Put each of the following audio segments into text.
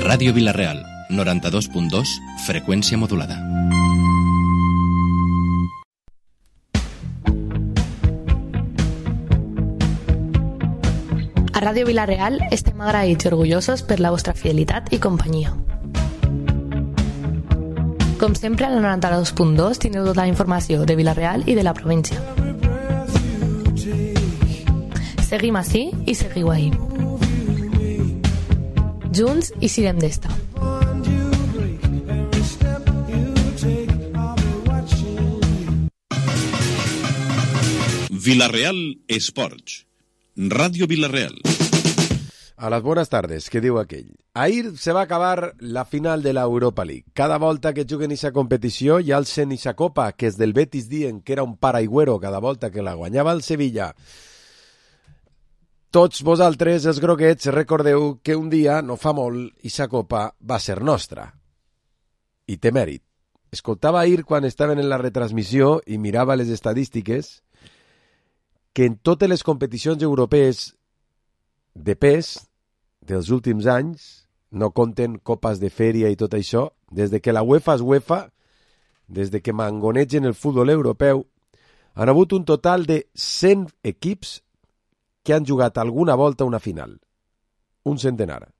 Ràdio Vila-real, 92.2, freqüència modulada. A Ràdio Vila-real estem agraïts i orgullosos per la vostra fidelitat i companyia. Com sempre, al 92.2 teniu tota la informació de Vila-real i de la província. Seguim ací i seguiu ahí. Junts i sirem d'esta. Vila-real Esports. Radio Vila-real. A las buenas tardes, que diu aquell. Ahir se va acabar la final de la Europa League. Cada volta que juguen aquesta competició hi alcen aquesta copa, que és del Betis dient que era un paraigüero cada volta que la guanyava el Sevilla. Tots vosaltres, els groguets, recordeu que un dia, no fa molt, aquesta copa va ser nostra. I té mèrit. Escoltava ahir quan estaven en la retransmissió i mirava les estadístiques que en totes les competicions europees de pes dels últims anys, no compten copes de fèria i tot això, des de que la UEFA és UEFA, des de que mangonegen el futbol europeu, han hagut un total de 100 equips que han jugat alguna volta una final. Un centenar.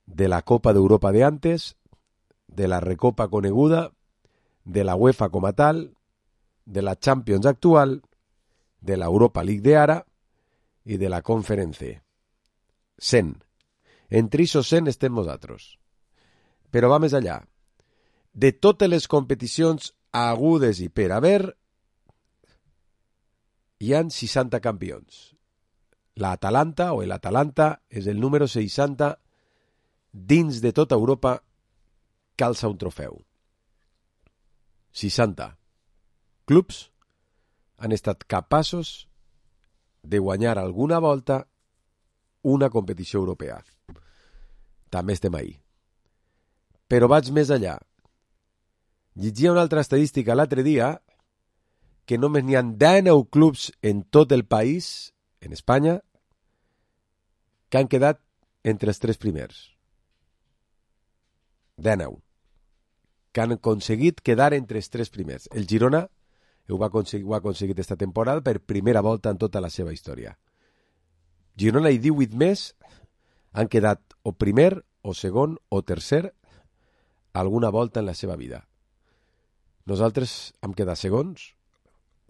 De la Copa d'Europa de antes, de la Recopa coneguda, de la UEFA com a tal, de la Champions actual, de la Europa League de ara i de la Conference. 100. Entre aquests 100 estem nosaltres. Però va més allà. De totes les competicions agudes i per haver, hi han 60 campions. L'Atalanta o l'Atalanta és el número 60 dins de tota Europa que alça un trofeu. 60 clubs han estat capaços de guanyar alguna volta una competició europea. També estem ahí. Però vaig més allà. Llegia una altra estadística l'altre dia que només n'hi ha 19 clubs en tot el país, en Espanya, que han quedat entre els 3 primers. 19. Que han aconseguit quedar entre els 3 primers. El Girona ho ha aconseguit esta temporada per primera volta en tota la seva història. Girona i 18 més han quedat o primer, o segon, o tercer alguna volta en la seva vida. Nosaltres hem quedat segons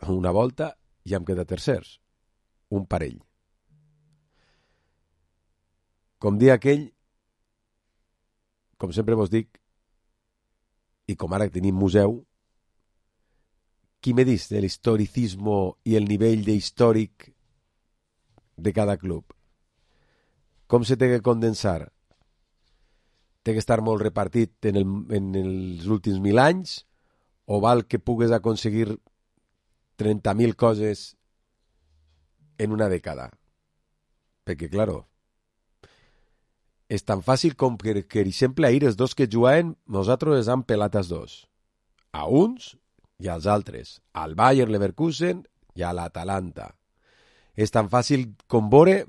una volta i hem quedat tercers. Un parell. Com dia aquell, com sempre vos dic, i com ara que tenim museu, qui me dice el historicismo i el nivell de històric de cada club? Com se té que condensar? Té que estar molt repartit en els últims 1000 anys o val que pugues aconseguir 30.000 coses en una dècada? Perquè, claro, és tan fàcil com que, per exemple, ahir els dos que jugaven, nosaltres hem pelat els dos. A uns i als altres. Al Bayer Leverkusen i a l'Atalanta. És tan fàcil com veure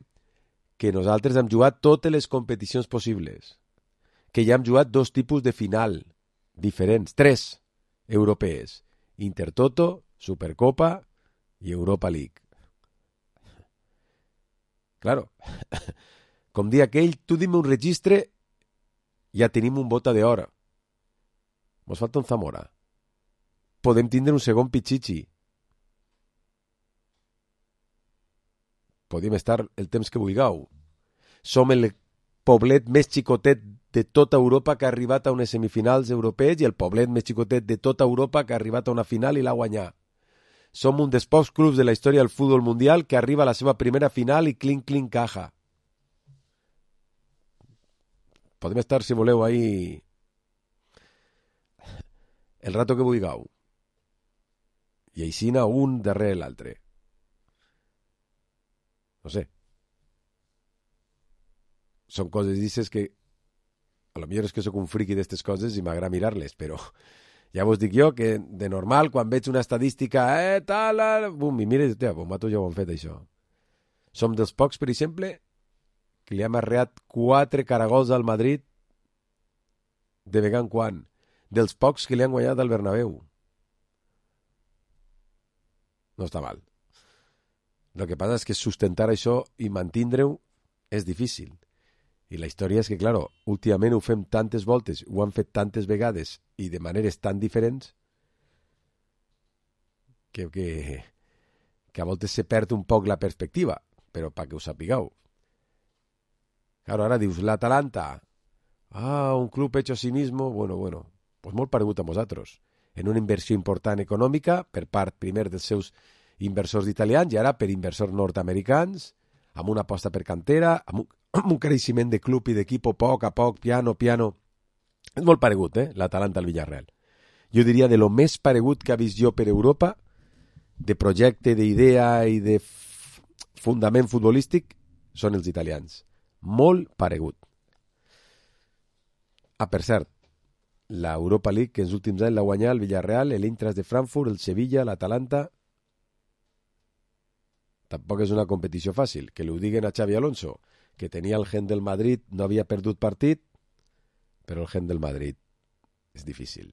que nosaltres hem jugat totes les competicions possibles. Que ja hem jugat 2 tipus de final diferents, 3 europees. Intertoto, Supercopa i Europa League. Claro, com dia aquell, tu dime un registre, ja tenim un bota d'or. Mos falta un Zamora. Podem tindre un segon Pichichi. Podem estar el temps que vulgueu. Som el poblet més xicotet de tota Europa que ha arribat a unes semifinals europees i el poblet més xicotet de tota Europa que ha arribat a una final i l'ha guanyat. Som un dels pocs clubs de la història del futbol mundial que arriba a la seva primera final i clink caja. Podem estar, si voleu, ahí el rato que vulgueu. I aixina un darrere l'altre. No sé. Són coses dices que a lo millor és que sóc un friqui d'estes coses i m'agrada mirar-les, però ja vos dic jo que de normal quan veig una estadística tal, bum, i mira, vosaltres ja ho han fet això. Som dels pocs, per exemple, que li ha marreat 4 caragols al Madrid de vegada en quan, dels pocs que li han guanyat al Bernabéu. No està mal. El que passa és que sustentar això i mantindre-ho és difícil. I la història és que, claro, últimament ho fem tantes voltes, ho han fet tantes vegades i de maneres tan diferents que a voltes se perd un poc la perspectiva, però perquè ho sapigueu. Claro, ara dius, l'Atalanta, un club hecho a sí mismo, bueno, pues molt paregut a nosaltres, en una inversió important econòmica per part primer dels seus inversors italians i ara per inversors nord-americans, amb una aposta per cantera, amb un creixement de club i d'equip a poc, piano. És molt paregut, l'Atalanta al Villarreal. Jo diria de lo més paregut que ha vist jo per Europa, de projecte, d'idea i de fundament futbolístic, són els italians. Molt paregut. Per cert, l'Europa League, que els últims anys l'ha guanyat el Villarreal, l'Eintracht de Frankfurt, el Sevilla, l'Atalanta. Tampoc és una competició fàcil. Que li ho diguen a Xavi Alonso, que tenia el gen del Madrid, no havia perdut partit, però el gen del Madrid és difícil.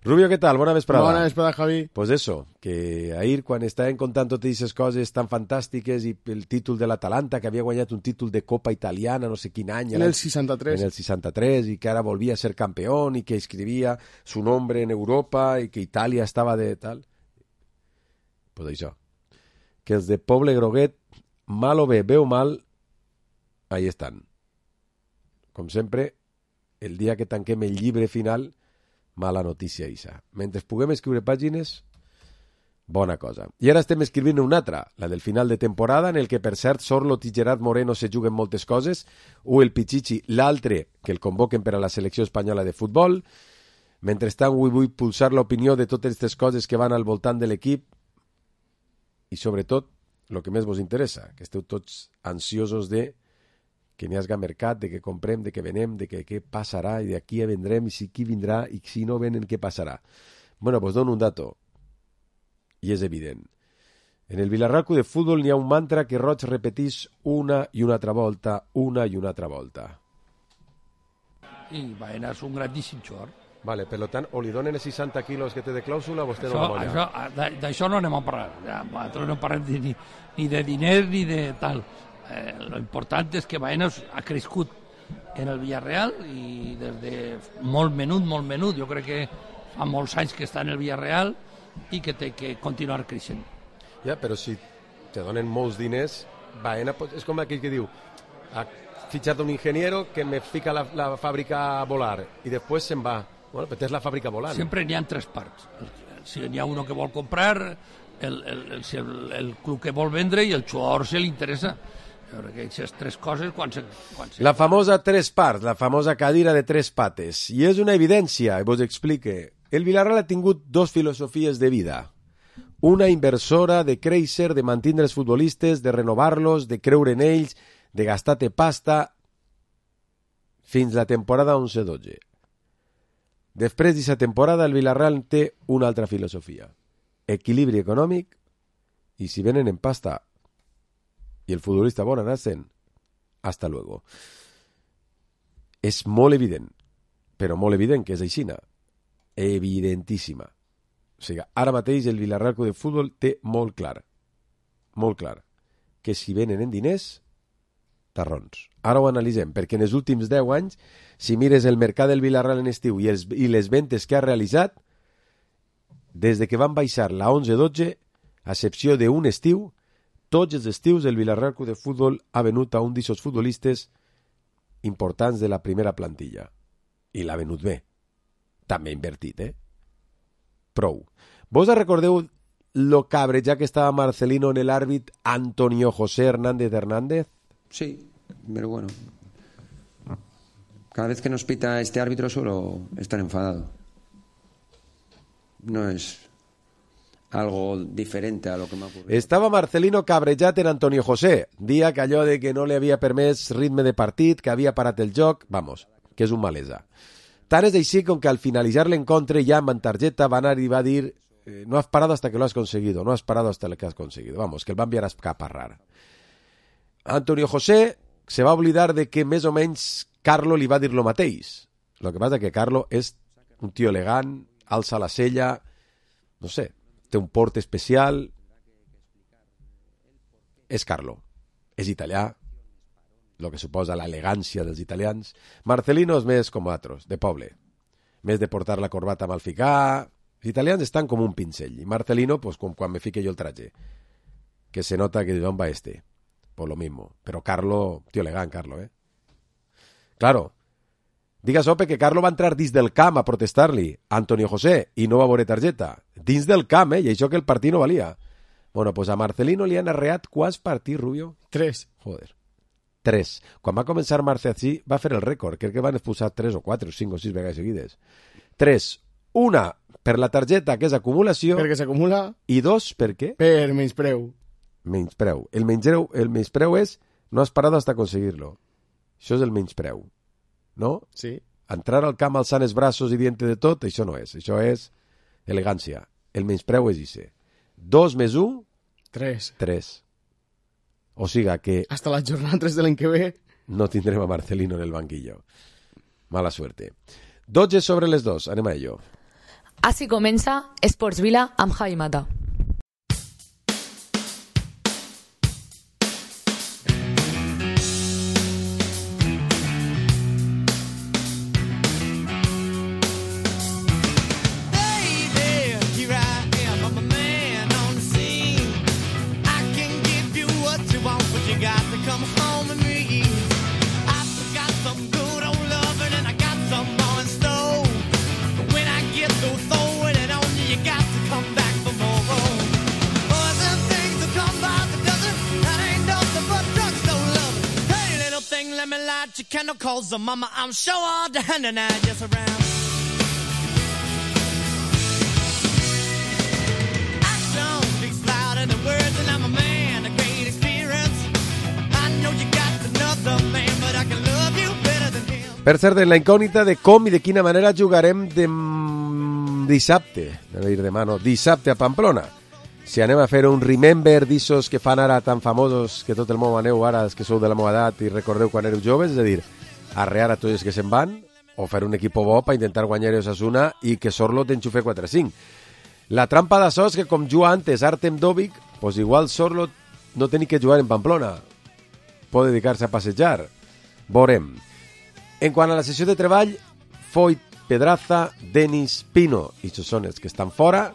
Rubio, què tal? Bona vesprada. Bona vesprada, Javi. Pues eso, que ahir quan estàvem contant totes aquestes coses tan fantàstiques i el títol de l'Atalanta, que havia guanyat un títol de Copa Italiana, no sé quin any. En el 63. En el 63, i que ara volvia a ser campeón i que escrivia su nombre en Europa i que Itàlia estava de tal. Pues això. Que els de Poble Groguet, mal o bé o mal, ahí estan. Com sempre, el dia que tanquem el llibre final, mala notícia, Isa. Mentre puguem escriure pàgines, bona cosa. I ara estem escrivint una altra, la del final de temporada, en el que, per cert, Sorloth i Gerard Moreno se juguen moltes coses, el Pichichi, l'altre, que el convoquen per a la selecció espanyola de futbol. Mentrestant, vull pulsar l'opinió de totes aquestes coses que van al voltant de l'equip i, sobretot, el que més vos interessa, que esteu tots ansiosos de que n'hi hagi mercat, de que comprem, de que venem, de que què passarà i d'aquí a vendrem i si qui vindrà i si no venen què passarà. Bueno, pues dono un dato i és evident. En el Villarreal Club de Futbol n'hi ha un mantra que Roig repetís una i una altra volta, I Baena és un grandíssim jugador. Vale, per tant, o li donen els 60 quilos que té de clàusula o vostè no la guanya. D'això no anem a parlar. Nosaltres no parlem ni de diners ni de tal. Lo important és que Baena ha crescut en el Villarreal i des de molt menut. Jo crec que fa molts anys que està en el Villarreal i que té que continuar creixent. Ja, però si te donen molts diners, Baena és com aquell que diu ha fitxat un ingeniero que me fica la fàbrica a volar i després se'n va. Bueno, però tens la fàbrica volant. Sempre n'hi ha tres parts. Si n'hi ha uno que vol comprar, el club que vol vendre i el jugador se li interessa. Aquestes tres coses La famosa tres parts, la famosa cadira de tres pates. I és una evidència, i vos explique. El Villarreal ha tingut dos filosofies de vida. Una inversora de créixer, de mantindre els futbolistes, de renovar-los, de creure en ells, de gastar-te pasta, fins la temporada 11-12. Després d'aquesta temporada, el Villarreal té una altra filosofia. Equilibri econòmic, i si venen en pasta i el futbolista vol anar-se'n, hasta luego. És molt evident, però molt evident que és aixina. Evidentíssima. O sigui, ara mateix el Villarreal Club de Futbol té molt clar, que si venen en diners, tarrons. Ara ho analitzem, perquè en els últims 10 anys, si mires el mercat del Villarreal en estiu i les ventes que ha realitzat, des de que van baixar la 11-12, a excepció d'un estiu, tots els estius el Villarreal Club de Futbol ha venut a un d'aquests futbolistes importants de la primera plantilla. I l'ha venut bé. També invertit, Prou. Vos recordeu lo cabreja que estava Marcelino en el àrbit Antonio José Hernández? Sí, pero bueno. Cada vez que nos pita este árbitro suelo estar enfadado. No es algo diferente a lo que m'ha ocurrido. Estava Marcelino cabrejat en Antonio José. Dia que allò de que no li havia permès ritme de partit, que havia parat el joc, vamos, que és un malesa. Tant és així com que al finalitzar l'encontre ja amb targeta van arribar a dir no has parado hasta que lo has conseguido, no has parado hasta que has conseguido. Vamos, que el va enviar a escaparrar. Antonio José se va oblidar de que més o menys Carlo li va dir lo mateix. El que passa que Carlo és un tio elegant, alça la cella, no sé, té un port especial. És Carlo, és italià, el que suposa l'elegància dels italians. Marcelino és més com altres, de poble, més de portar la corbata mal ficar. Els italians estan com un pincell, i Marcelino, pues, com quan me fique jo el traje, que se nota que d'on va este, por lo mismo. Però Carlo, tio elegant, Carlo, Claro, diga Sope que Carlo va entrar dins del camp a protestar-li a Antonio José i no va veure targeta. Dins del camp, i això que el partit no valia. Bueno, pues a Marcelino li han arreat quants partits, Rubio? 3. Joder. 3. Quan va començar Marcelí va fer el rècord. Crec que van expulsar 3 o 4 o 5 o 6 vegades seguides. 3. Una per la targeta, que és acumulació. Perquè s'acumula. I 2, per què? Per menyspreu. Menyspreu. El menyspreu és no has parat hasta aconseguir-lo. Això és el menyspreu. No? Sí. Entrar al camp alçant els braços i dient de tot, això no és. Això és elegància. El menyspreu és ixe. 2 més 1? 3. 3. O siga que... Hasta la jornada 3 de l'any que ve. No tindrem a Marcelino en el banquillo. Mala suerte. 12 sobre les 2. Anem a ello. Així comença Esports Vila amb Javi Mata. Calls the mama, I'm sure all the hand and I just around. Action speaks louder than words, and I'm a man of great experience. I know you got another man, but I can love you better than him. Per cert, en la incògnita de com i de quina manera jugarem dissabte, dissabte a Pamplona. Si anem a fer un remember d'issos que fan ara tan famosos que tot el món aneu ara, els que sou de la meva edat i recordeu quan éreu joves, és a dir, arrear a tots els que se'n van o fer un equip bo per intentar guanyar Osasuna i que Sorlo t'enxufe 4-5. La trampa d'això és que com juga antes Artem Dovik, pues igual Sorlo no té ni que jugar en Pamplona. Pot dedicar-se a passejar. Veurem. En quant a la sessió de treball, Foyt, Pedraza, Denis, Pino i això són els que estan fora.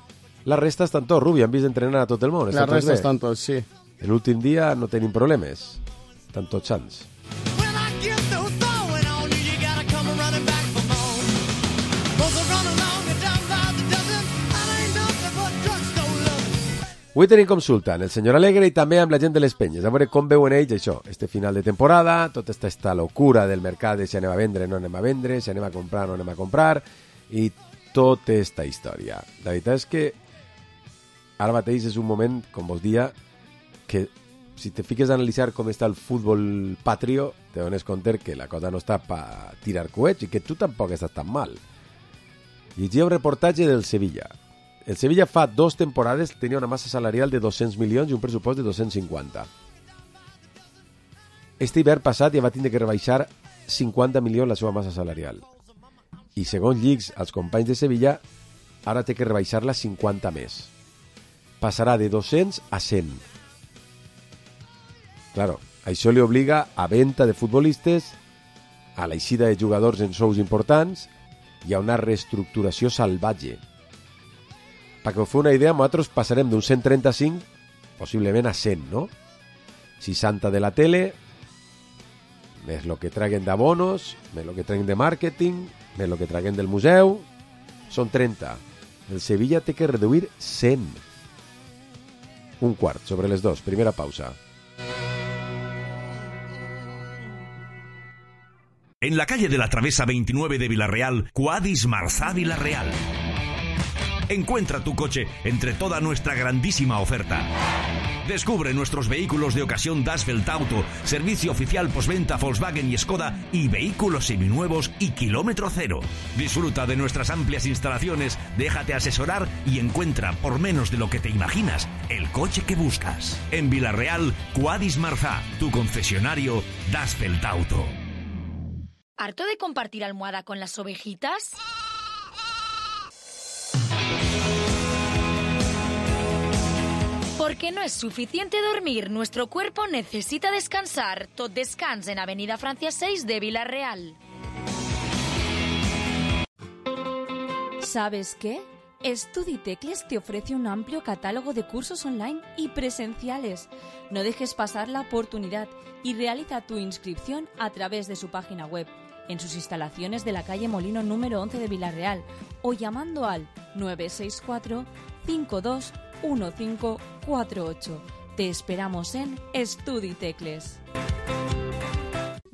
La resta estan tots, Rubi, han vist entrenar a tot el món. La resta estan tots, sí. L'últim dia no tenim problemes. Estan tots sants. Avui tenim consulta amb el senyor Alegre i també amb la gent de les penyes, a veure com veuen ells això, este final de temporada, tota esta locura del mercat de si anem a vendre o no anem a vendre, si anem a comprar o no anem a comprar, i tota esta història. La veritat és que ara mateix és un moment, com vos dia, que si te fiques a analitzar com està el futbol patrio, te dones compte que la cosa no està per tirar coets i que tu tampoc estàs tan mal. Llegia un reportatge del Sevilla. El Sevilla fa 2 temporades tenia una massa salarial de 200 milions i un pressupost de 250. Este hivern passat ja va tindre que rebaixar 50 milions la seva massa salarial. I segons llics als companys de Sevilla, ara té que rebaixar-la 50 més. Passarà de 200 a 100. Claro, això li obliga a venda de futbolistes, a l'eixida de jugadors en sous importants i a una reestructuració salvatge. Perquè us feu una idea, nosaltres passarem d'un 135 possiblement a 100, no? 60 de la tele, més el que traguen d'abonos, més el que traguen de màrqueting, més el que traguen del museu, són 30. El Sevilla té que reduir 100. Un quart sobre les 2, primera pausa. En la calle de la Travesa 29 de Villarreal, Cuadis Marzá Villarreal. Encuentra tu coche entre toda nuestra grandísima oferta. Descubre nuestros vehículos de ocasión Das Welt Auto, servicio oficial postventa Volkswagen y Skoda y vehículos seminuevos y kilómetro cero. Disfruta de nuestras amplias instalaciones, déjate asesorar y encuentra por menos de lo que te imaginas el coche que buscas. En Vila-real, Quadis Marzá, tu concesionario Das Welt Auto. ¿Harto de compartir almohada con las ovejitas? Porque no es suficiente dormir, nuestro cuerpo necesita descansar. Tot Descans en Avenida Francia 6 de Vila-real. ¿Sabes qué? StudiTecles te ofrece un amplio catálogo de cursos online y presenciales. No dejes pasar la oportunidad y realiza tu inscripción a través de su página web, en sus instalaciones de la calle Molino número 11 de Vila-real o llamando al 964 52 1548. Te esperamos en StudiTecles.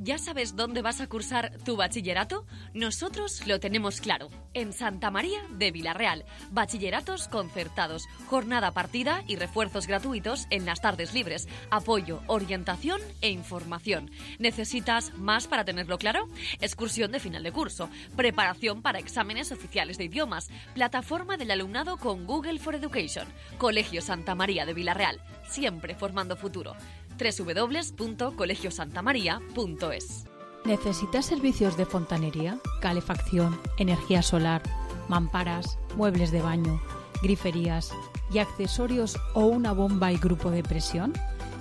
¿Ya sabes dónde vas a cursar tu bachillerato? Nosotros lo tenemos claro. En Santa María de Vila-real. Bachilleratos concertados, jornada partida y refuerzos gratuitos en las tardes libres. Apoyo, orientación e información. ¿Necesitas más para tenerlo claro? Excursión de final de curso, preparación para exámenes oficiales de idiomas, plataforma del alumnado con Google for Education. Colegio Santa María de Vila-real, siempre formando futuro. www.colegiosantamaria.es. ¿Necesitas servicios de fontanería, calefacción, energía solar, mamparas, muebles de baño, griferías y accesorios o una bomba y grupo de presión?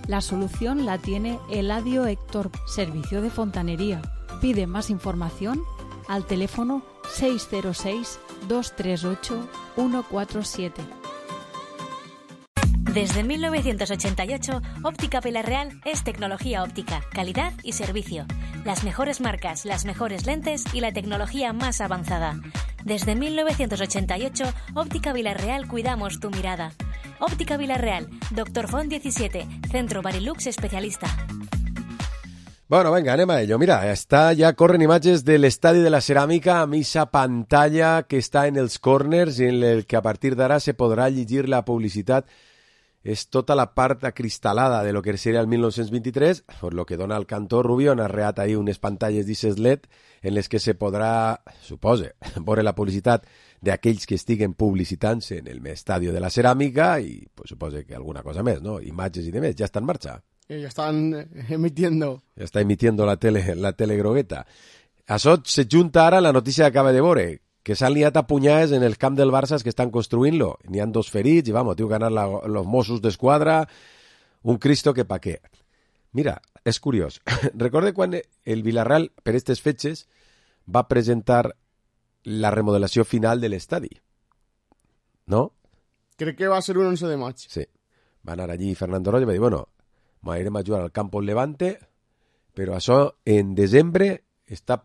La solución la tiene Eladio Héctor, servicio de fontanería. Pide más información al teléfono 606 238 147. Desde 1988, Óptica Vila-real es tecnología óptica, calidad y servicio. Las mejores marcas, las mejores lentes y la tecnología más avanzada. Desde 1988, Óptica Vila-real cuidamos tu mirada. Óptica Vila-real, Dr. Font 17, Centro Barilux especialista. Bueno, venga, anem a ello. Mira, ja corren imatges de l'estadi de la Ceràmica amb esa pantalla que està en els corners i en el que a partir d'ara se podrà llegir la publicitat. És tota la part acristalada de lo que seria el 1923, por lo que dona el cantor Rubio, han arreat ahí unes pantalles d'Ises LED en les que se podrà, supose, veure la publicitat d'aquells que estiguen publicitant-se en el estadio de la Ceràmica i pues, supose que alguna cosa més, ¿no? Imatges i demés, ja està en marxa. Ya están emitiendo. Ja està emitiendo la tele grogueta. Això se junta ara la notícia que acaba de veure, que s'han liat a punyades en el camp del Barça que estan construint-lo. N'hi ha 2 ferits i, vamos, tienen que anar los Mossos d'Esquadra, un Cristo que pa què. Mira, és curiós. Recorde quan el Vila-real, per aquestes fetges, va presentar la remodelació final de l'estadi. ¿No? Crec que va ser un 11 de maig. Sí. Va anar allí Fernando Roig i va dir, bueno, m'anirem a jugar al Campo Levante, però això en desembre està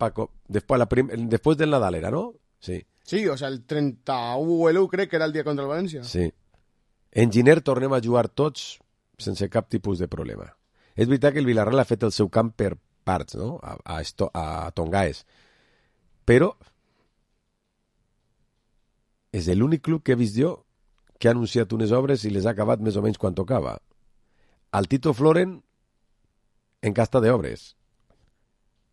después del Nadal era, ¿no? Sí. Sí, o sea, el 31 crec que era el dia contra el València. Sí. En Giner tornem a jugar tots sense cap tipus de problema. És veritat que el Vila-real ha fet el seu camp per parts, no? A Tongaes. Però és l'únic club que he vist jo que ha anunciat unes obres i les ha acabat més o menys quan tocava. Al Tito Floren en casta d'obres.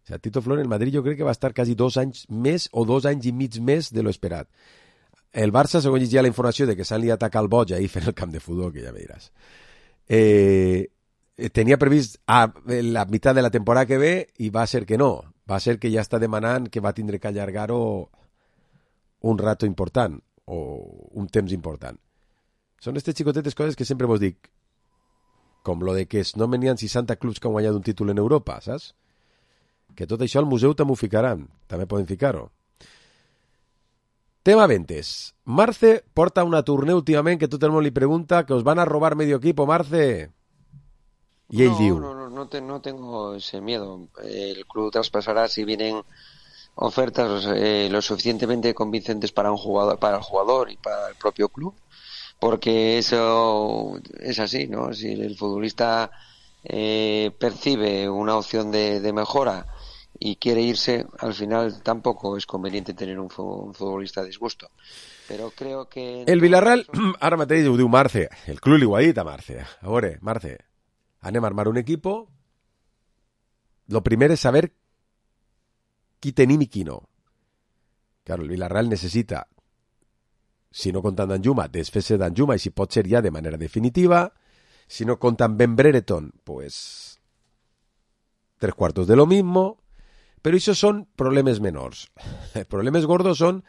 O sea, Tito Floren en Madrid jo crec que va estar quasi 2 anys més o 2 anys i mig més de lo esperat. El Barça, segons llegia la informació de que s'han liat a Cal Boig ahir fent el camp de futbol, que ja me diràs. Tenia previst la meitat de la temporada que ve i va ser que no. Va ser que ja està demanant que va tindre que allargar-ho un rato important o un temps important. Són aquestes xicotetes coses que sempre vos dic, com lo de que no venien 60 clubs que han guanyat un títol en Europa, saps? Que tot això al museu també ho ficaran. També poden ficar-ho. Tema ventes. Marce porta una tournée últimament que tot el món li pregunta que os van a robar medio equipo, Marce. Y él diu. No tengo ese miedo. El club traspasará si vienen ofertas lo suficientemente convincentes para el jugador y para el propio club. Porque eso es así, ¿no? Si el futbolista percibe una opción de mejora y quiere irse, al final tampoco es conveniente tener un futbolista a disgusto. Però creo que... El Villarreal, ara mateix ho diu Marce, el club li ho ha dit a Marce. A veure, Marce, anem a armar un equipo. Lo primer és saber qui tenim i qui no. Claro, el Villarreal necessita, si no compta amb Danjuma, desfer-se Danjuma, i si pot ser ja de manera definitiva. Si no compta amb Ben Brereton, pues 3/4 de lo mismo. Però això són problemes menors. Problemes gordos són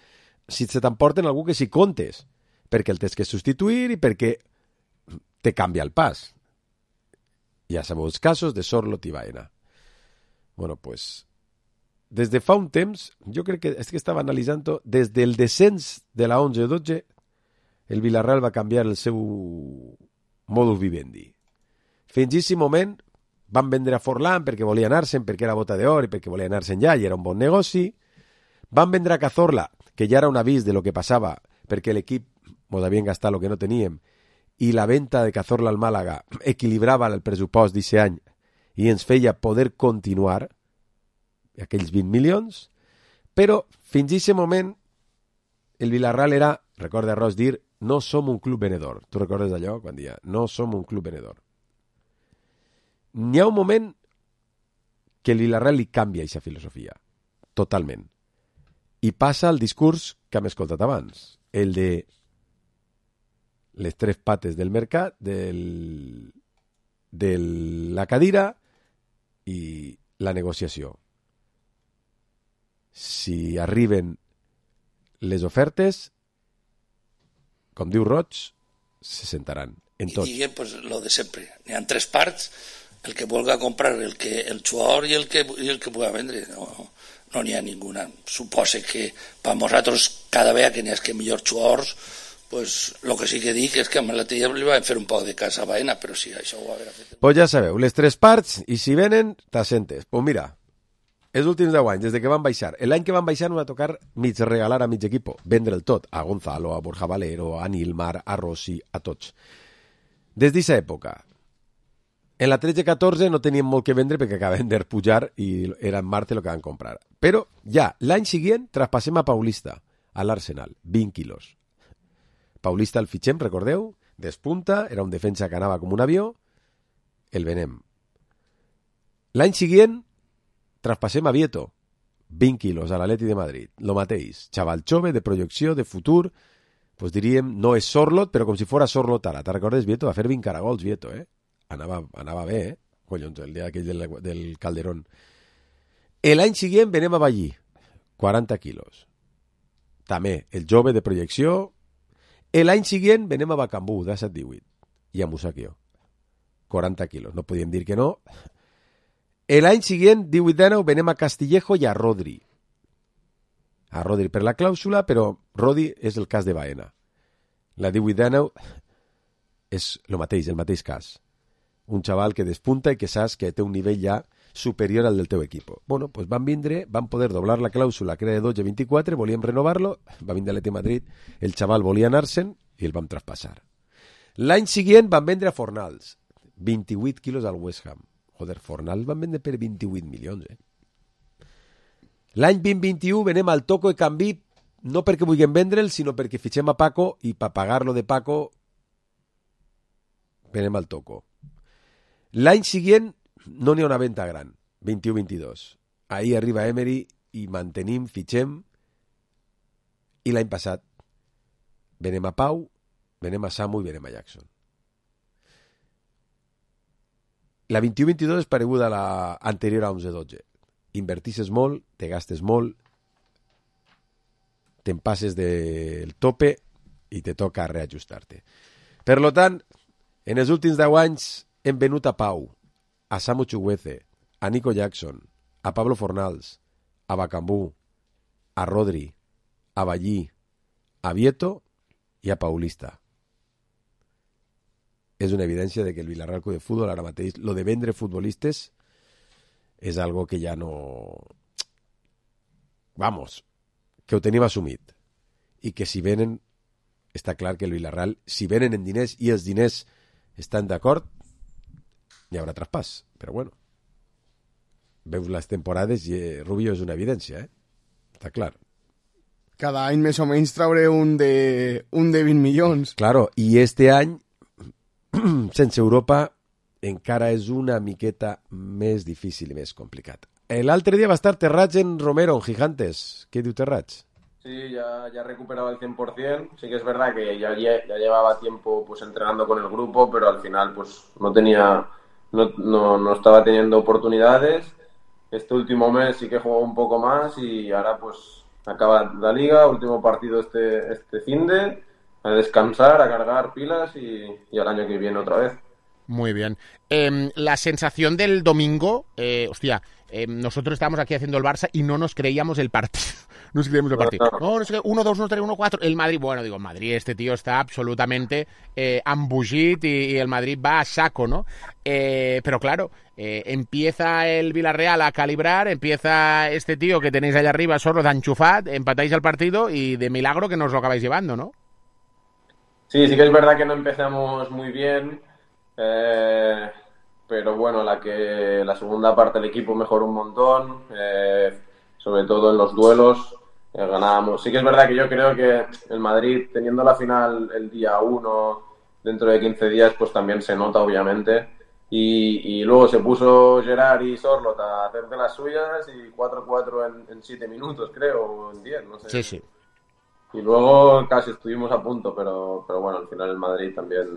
si se t'emporten algú que si comptes, perquè el tens que substituir i perquè te canvia el pas. Ja sabeu els casos de Sorloth i Baena. Bueno, pues, des de fa un temps, jo crec que és que estava analitzant, des del descens de la 11-12, el Villarreal va canviar el seu modus vivendi. Fins a aquest moment van vendre a Forlán perquè volia anar-se'n, perquè era bota d'or i perquè volia anar-se'n ja, i era un bon negoci. Van vendre a Cazorla, que ja era un avís de lo que passava, perquè l'equip mos havien gastat el que no teníem, i la venta de Cazorla al Màlaga equilibrava el pressupost d'aquest any i ens feia poder continuar aquells 20 milions, però fins a aquest moment el Villarreal era, recorda Ros dir, no som un club venedor. Tu recordes allò? Quan dia, no som un club venedor. N'hi ha un moment que el Villarreal li canvia aquesta filosofia, totalment. I passa al discurs que hem escoltat abans, el de les tres pates del mercat, de la cadira i la negociació. Si arriben les ofertes, com diu Roig, se sentaran en tot. I diguem, pues, lo de sempre. N'hi ha tres parts, el que vulga comprar el jugador i el que puga vendre. No n'hi ha ninguna. Supose que per nosaltres cada vegada que n'hi ha que millors jugadors, pues lo que sí que dic és que amb l'altre dia li van fer un poc de casa a Baena, però sí, això ho va haver fet. Pues ja sabeu, les tres parts, i si venen, t'assentes. Pues mira, els últims 10 anys, des de que van baixar, l'any que van baixar no va tocar mig regalar a mig equipo, vendre el tot, a Gonzalo, a Borja Valero, a Nilmar, a Rossi, a tots. Des d'aquesta època, en la 13-14 no teníem molt que vendre perquè acabaven de pujar i era en Marte el que van comprar. Però ja, l'any següent traspassem a Paulista, a l'Arsenal, 20 quilos. Paulista el fitxem, recordeu? Despunta, era un defensa que anava com un avió, el venem. L'any següent traspassem a Vieto, 20 quilos a l'Atleti de Madrid, lo mateix, xaval jove, de projecció, de futur, pues diríem, no és Sorloth, però com si fora Sorloth ara. Te'n recordes, Vieto? Va fer 20 caragols, Vieto, Anava bé, Collons, el dia aquell del Calderón. L'any següent venem a Ballí, 40 quilos. També, el jove de projecció. L'any següent venem a Bacambú, de 17-18, i a Musakio, 40 quilos. No podíem dir que no. L'any següent, 18-19, venem a Castillejo i a Rodri. A Rodri per la clàusula, però Rodri és el cas de Baena. La 18-19 és el mateix cas. Un xaval que despunta i que saps que té un nivell ja superior al del teu equip. Bueno, pues van vindre, van poder doblar la clàusula, que era de 12 a 24, volíem renovar-lo, va vindre a l'Atleti Madrid, el xaval volia anar-se'n i el vam traspassar. L'any següent van vendre a Fornals, 28 quilos al West Ham. Joder, Fornals van vendre per 28 milions, L'any 2021 venem al Toco i Canvi, no perquè vulguem vendre'l, sinó perquè fitxem a Paco i per pagar-lo de Paco venem al Toco. L'any següent no n'hi ha una venda gran, 21-22. Ahir arriba Emery i mantenim, fitxem, i l'any passat venem a Pau, venem a Samu i venem a Jackson. La 21-22 és pareguda a la anterior a 11-12. Invertisses molt, te gastes molt, te'n passes del tope i te toca reajustar-te. Per tant, en els últims 10 anys hem venut a Pau, a Samu Chukwueze, a Nico Jackson, a Pablo Fornals, a Bacambú, a Rodri, a Ballí, a Vieto i a Paulista. És una evidència de que el Villarreal Club de Futbol ara mateix, lo de vendre futbolistes és algo que ja no... Vamos, que ho tenim assumit. I que si venen, està clar que el Villarreal, si venen en diners i els diners estan d'acord, hi haurà traspàs, però bueno. veus les temporades i Rubio és una evidència, està clar. Cada any més o menys trauré un de 20 milions. Claro, i este any, sense Europa, encara és una miqueta més difícil i més complicat. L'altre dia va estar Terrats en Romero, en Gigantes. ¿Qué diu Terrats? Sí, ya recuperaba el 100%. Sí que es verdad que ya llevaba tiempo pues entrenando con el grupo, pero al final pues no estaba teniendo oportunidades. Este último mes sí que jugó un poco más y ahora pues acaba la liga, último partido este finde, a descansar, a cargar pilas y al año que viene otra vez. Muy bien. La sensación del domingo, nosotros estábamos aquí haciendo el Barça y no nos creíamos el partido. No sé qué el partido. No sé qué, 1-2, 1-3, 1-4. El Madrid, el Madrid, este tío está absolutamente embogit y el Madrid va a saco, ¿no? Pero claro, empieza el Villarreal a calibrar, empieza este tío que tenéis allá arriba, Sorloth, enchufat, empatáis el partido y de milagro que nos lo acabáis llevando, ¿no? Sí que es verdad que no empezamos muy bien, pero bueno, la segunda parte del equipo mejoró un montón, sobre todo en los duelos. Ganábamos. Sí que es verdad que yo creo que el Madrid, teniendo la final el día 1, dentro de 15 días, pues también se nota, obviamente. Y luego se puso Gerard y Sorloth a hacer de las suyas y 4-4 en 7 minutos, creo, o en 10, no sé. Sí. Y luego casi estuvimos a punto, pero bueno, al final el Madrid también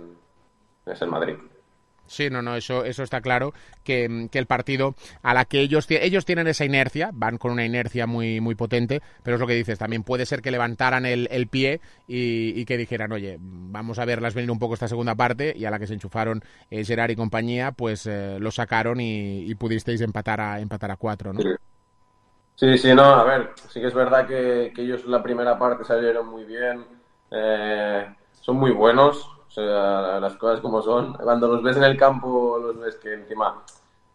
es el Madrid. Sí, no, eso está claro, que el partido a la que ellos tienen esa inercia, van con una inercia muy, muy potente, pero es lo que dices, también puede ser que levantaran el pie y que dijeran, oye, vamos a verlas venir un poco esta segunda parte, y a la que se enchufaron Gerard y compañía, pues lo sacaron y pudisteis empatar a 4, ¿no? Sí, no, a ver, sí que es verdad que ellos en la primera parte salieron muy bien, son muy buenos. O sea, las cosas como son. Cuando los ves en el campo, los ves que encima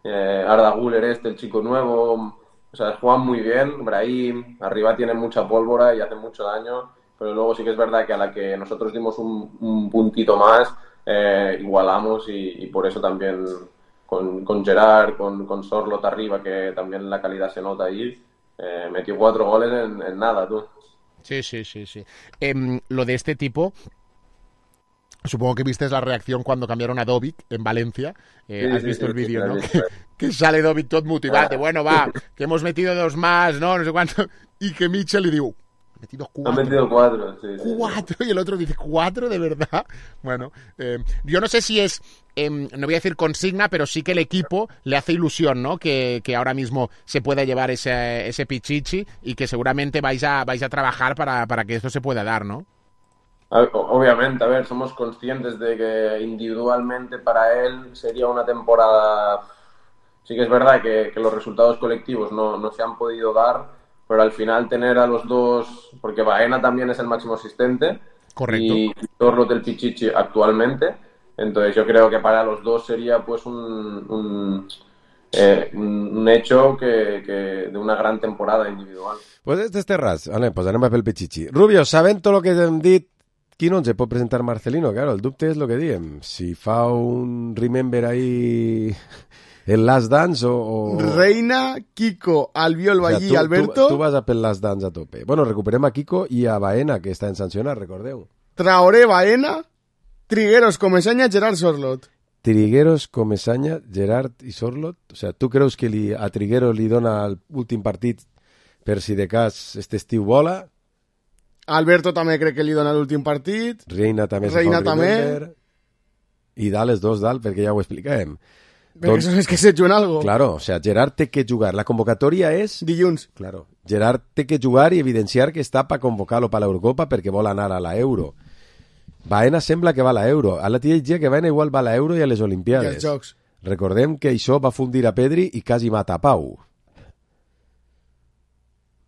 Arda Güler, el chico nuevo, o sea, juegan muy bien. Brahim, arriba tienen mucha pólvora y hacen mucho daño. Pero luego sí que es verdad que a la que nosotros dimos un puntito más, igualamos y por eso también con Gerard, con Sorloth arriba, que también la calidad se nota ahí, metió 4 goles en nada, tú. Sí. Lo de este tipo... Supongo que viste la reacción cuando cambiaron a Dovic en Valencia. Has visto el vídeo, ¿no? Que sale Dovic todo motivado. Bueno, va, que hemos metido 2 más, ¿no? No sé cuánto. Y que Mitchell le digo, he metido 4. Ha metido 4, sí. 4. Y el otro dice, ¿4 de verdad? Bueno, yo no sé si es, no voy a decir consigna, pero sí que el equipo le hace ilusión, ¿no? Que ahora mismo se pueda llevar ese pichichi y que seguramente vais a trabajar para que esto se pueda dar, ¿no? Obviamente, a ver, somos conscientes de que individualmente para él sería una temporada... Sí que es verdad que los resultados colectivos no se han podido dar, pero al final tener a los dos... Porque Baena también es el máximo asistente. Correcto. Y Sorloth el Pichichi actualmente. Entonces yo creo que para los dos sería pues un hecho que de una gran temporada individual. Pues este és Terrats. Vale, pues anem a fer el Pichichi. Rubio, sabent tot el que hem dit, qui no ens pot presentar Marcelino? Claro, el dubte és el que diem. Si fa un remember ahí el Last Dance o... Reina, Kiko, Albiol, Ballí, o sea, Alberto... Tu vas a pel Last Dance a tope. Bueno, recuperem a Kiko i a Baena, que està en sancionat, recordeu. Traoré, Baena, Trigueros, Comesaña, Gerard, Sorloth. Trigueros, Comesaña, Gerard i Sorloth. O sea, tu creus que a Trigueros li dona l'últim partit per si de cas este estiu vola? Alberto també crec que li dona l'últim partit. Reina també. I dalt els dos dalt, perquè ja ho expliquem. Però això és que se juguen algo. Claro, o sea, Gerard té que jugar. La convocatòria és... Dilluns. Claro. Gerard té que jugar i evidenciar que està per convocar-lo per l'Eurocopa perquè vol anar a l'Euro. Baena sembla que va a l'Euro. A la tia diria que Baena igual va a l'Euro i a les Olimpiades. I als Jocs. Recordem que això va fundir a Pedri i quasi mata a Pau.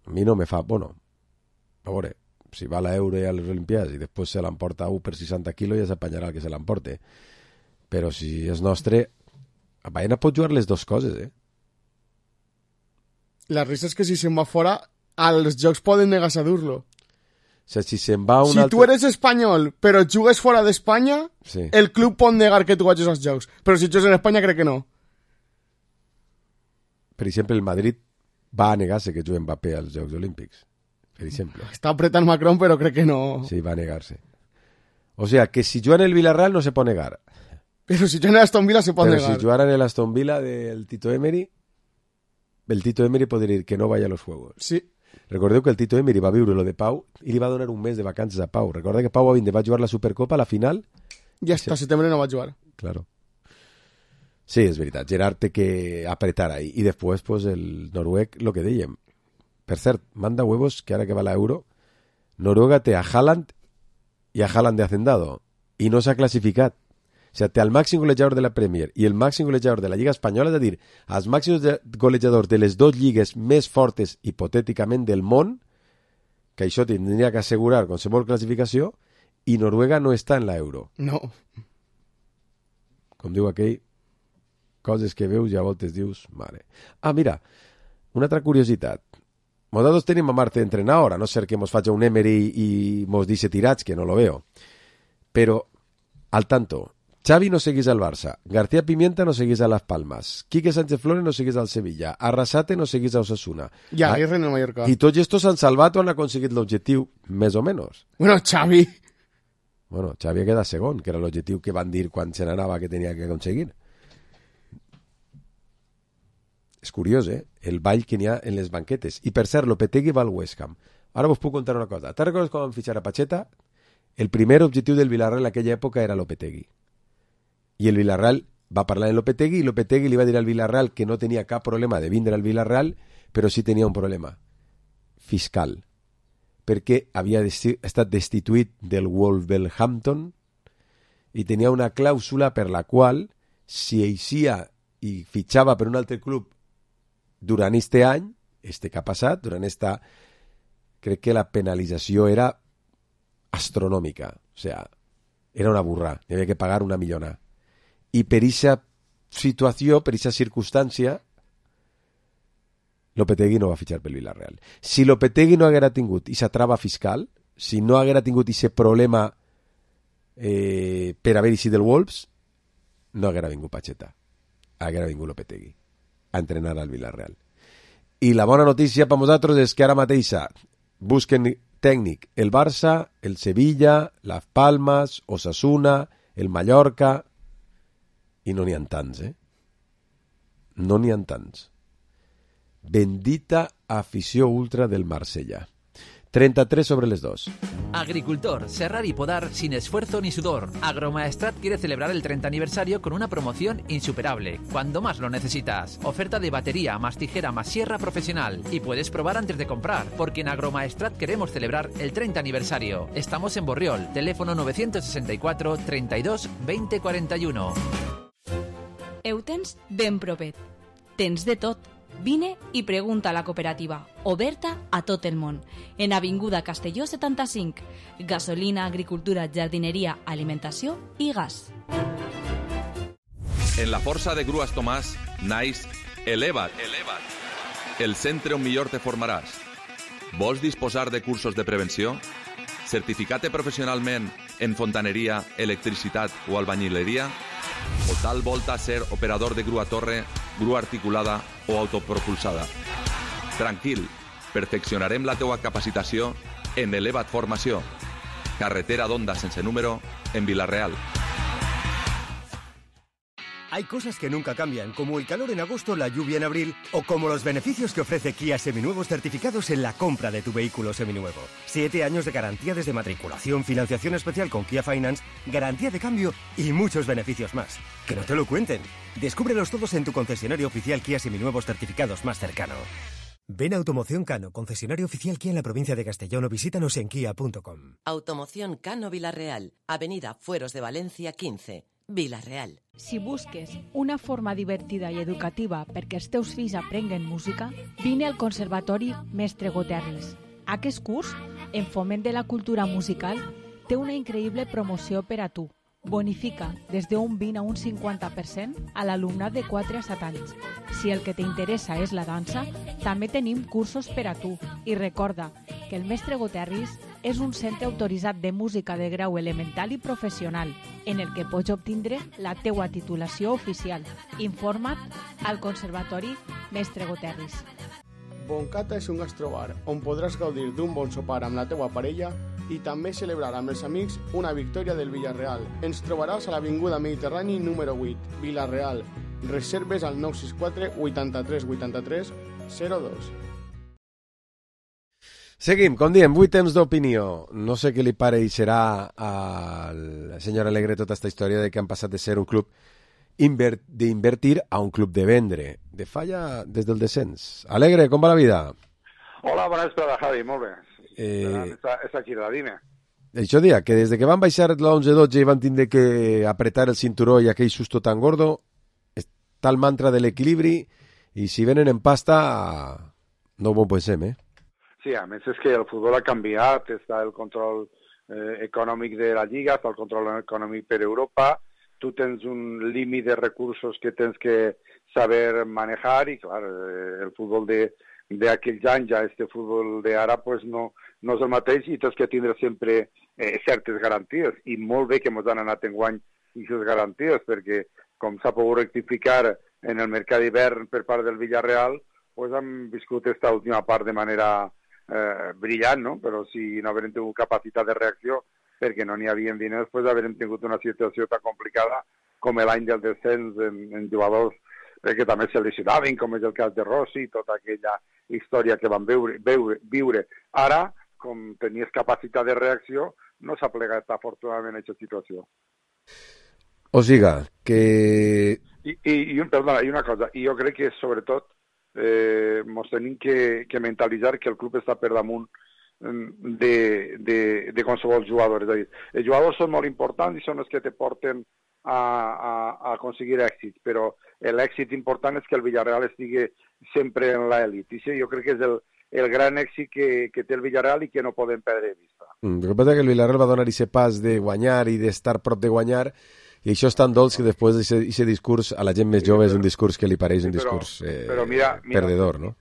A mi no me fa... Bueno, a veure, si va a l'Euro i a les Olimpiades i després se l'emporta 1 per 60 quilos ja s'apanyarà el que se l'emporte. Però si és nostre, a Baena pot jugar les dues coses, eh? La risa és que si se'n va fora, als Jocs poden negar-se a dur-lo. O sea, si se'n va si tu eres espanyol però jugues fora d'Espanya, sí, el club pot negar que tu vagis als Jocs. Però si jugues en Espanya, crec que no. per exemple, el Madrid va a negar-se que jugui Mbappé als Jocs Olímpics, per exemple. Està apretant Macron, però crec que no... Sí, va a negar-se. O sea, que si juega en el Villarreal no se puede negar. Pero si juega en Aston Villa se puede Pero negar. si jugara en el Aston Villa del Tito Emery, el Tito Emery podria dir que no vaya a los Juegos. Sí. Recordeu que el Tito Emery va viure lo de Pau i li va donar un mes de vacances a Pau. Recorda que Pau va jugar la Supercopa a la final. I hasta setembre no va jugar. Claro. Sí, és veritat. Gerard té que apretar ahí. I després, pues, el noruec, lo que dèiem. Per cert, manda huevos que ara que va l'Euro, Noruega té a Haaland i a Haaland de Hacendado. I no s'ha classificat. O sea, té el màxim golejador de la Premier i el màxim golejador de la Lliga Espanyola, és a dir, els màxims golejadors de les dues lligues més fortes, hipotèticament, del món, que això tindria que assegurar qualsevol classificació, i Noruega no està en l'Euro. No. Com diu aquell, coses que veus i a voltes dius, mare. Ah, mira, una altra curiositat. Nosaltres tenim a Marte entrenador, a no ser que mos faci un Emery i mos dice tirats, que no lo veo. Però, al tanto, Xavi no seguís al Barça, García Pimienta no seguís a Las Palmas, Quique Sánchez Flores no seguís al Sevilla, Arrasate no seguís a Osasuna. I Aguirre en el Mallorca. I tots estos han salvat o han aconseguit l'objectiu, més o menys. Bueno, Xavi. Bueno, Xavi queda segon, que era l'objectiu que van dir quan se n'anava que tenia que aconseguir. És curiós, el ball que n'hi ha en les banquetes. I per cert, Lopetegui va al West Ham. Ara vos puc contar una cosa. Te'n recordes quan van fitxar a Pacheta? El primer objectiu del Villarreal en aquella època era Lopetegui. I el Villarreal va parlar en Lopetegui i Lopetegui li va dir al Villarreal que no tenia cap problema de vindre al Villarreal, però sí tenia un problema fiscal, perquè havia estat destituït del Wolverhampton i tenia una clàusula per la qual, si eixia i fitxava per un altre club durant este any, que ha passat, durant esta, crec que la penalització era astronòmica, o sea, era una burra, hi havia que pagar una millona. I per aquesta situació, per aquesta circumstància, Lopetegui no va fitxar pel Villarreal. Si Lopetegui no haguera tingut aquesta trava fiscal, si no haguera tingut aquest problema per haver eixit del Wolves, no haguera vingut Pacheta. Haguera vingut Lopetegui a entrenar al Villarreal. I la bona notícia per nosaltres és que ara mateixa busquen tècnic el Barça, el Sevilla, Las Palmas, Osasuna, el Mallorca... I no n'hi ha tants, No n'hi ha tants. Bendita afició ultra del Marsella. 33 sobre les 2. Agricultor, serrar y podar sin esfuerzo ni sudor. Agromaestrat quiere celebrar el 30 aniversario con una promoción insuperable, cuando más lo necesitas. Oferta de batería, más tijera, más sierra profesional. Y puedes probar antes de comprar, porque en Agromaestrat queremos celebrar el 30 aniversario. Estamos en Borriol, teléfono 964 32 20 41. Ho tens ben propet. Tens de tot. Vine i pregunta a la cooperativa, oberta a tot el món. En Avinguda Castelló 75. Gasolina, agricultura, jardineria, alimentació i gas. En la força de Grues Tomàs naix Eleva't. El centre on millor te formaràs. Vols disposar de cursos de prevenció? Certificat-te professionalment en fontaneria, electricitat o albañileria? O tal volta ser operador de grua torre, grua articulada o autopropulsada? Tranquil, perfeccionarem la teua capacitació en Eleva't Formació. Carretera d'Onda sense número en Vila-real. Hay cosas que nunca cambian, como el calor en agosto, la lluvia en abril, o como los beneficios que ofrece Kia Seminuevos certificados en la compra de tu vehículo seminuevo. 7 años de garantía desde matriculación, financiación especial con Kia Finance, garantía de cambio y muchos beneficios más. Que no te lo cuenten. Descúbrelos todos en tu concesionario oficial Kia Seminuevos certificados más cercano. Ven a Automoción Cano, concesionario oficial Kia en la provincia de Castellón, o visítanos en kia.com. Automoción Cano Vila-real, Avenida Fueros de Valencia 15. Vila-real. Si busques una forma divertida i educativa perquè els teus fills aprenguen música, vine al Conservatori Mestre Goterris. Aquest curs, en foment de la cultura musical, té una increïble promoció per a tu. Bonifica des d'un 20 a un 50% a l'alumnat de 4 a 7 anys. Si el que t'interessa és la dansa, també tenim cursos per a tu. I recorda que el Mestre Goterris és un centre autoritzat de música de grau elemental i professional, en el que pots obtindre la teua titulació oficial. Informa't al Conservatori Mestre Goterris. Boncata és un gastrobar on podràs gaudir d'un bon sopar amb la teua parella i també celebrar amb els amics una victòria del Villarreal. Ens trobaràs a l'Avinguda Mediterrani número 8, Villarreal. Reserves al 964 83 83 02. Seguim, com diem, 8 temps d'opinió. No sé què li pareixerà al senyor Alegre tota aquesta història de que han passat de ser un club d'invertir a un club de vendre. De falla des del descens. Alegre, com va la vida? Hola, bona vesprada, Javi, molt bé. És aquí, la dime. Això dia, que des de que van baixar la 11-12 i van tindre que apretar el cinturó i aquell susto tan gordo, està el mantra de l'equilibri i si venen en pasta no ho pensem, eh? Sí, a més és que el futbol ha canviat, està el control econòmic de la Lliga, està el control econòmic per Europa, tu tens un límit de recursos que tens que saber manejar i, clar, el futbol d'aquells anys, ja este futbol d'ara, pues no és el mateix i tens que tindre sempre certes garanties. I molt bé que ens han anat enguany aquestes garanties, perquè, com s'ha pogut rectificar en el mercat d'hivern per part del Villarreal, pues han viscut aquesta última part de manera brillant, no? Però si no haguem tingut capacitat de reacció perquè no n'hi havia diners, pues haguem tingut una situació tan complicada com l'any del descens en jugadors que també se lesionaven, com és el cas de Rossi, tota aquella història que van viure. Ara, com tenies capacitat de reacció, no s'ha plegat afortunadament aquesta situació. O siga, que... Perdona, i una cosa, i jo crec que sobretot ens tenim que mentalitzar que el club està per damunt de qualsevol jugador. És a dir, els jugadors són molt importants i són els que te porten a aconseguir èxit, però l'èxit important és que el Villarreal estigui sempre en l'elit. I sí, jo crec que és el gran èxit que té el Villarreal i que no podem perdre de vista. El que passa és que el Villarreal va donar aquest pas de guanyar i d'estar prop de guanyar, i això és tan dolç que després d'aquest discurs a la gent més jove és un discurs que li pareix un discurs perdedor, no?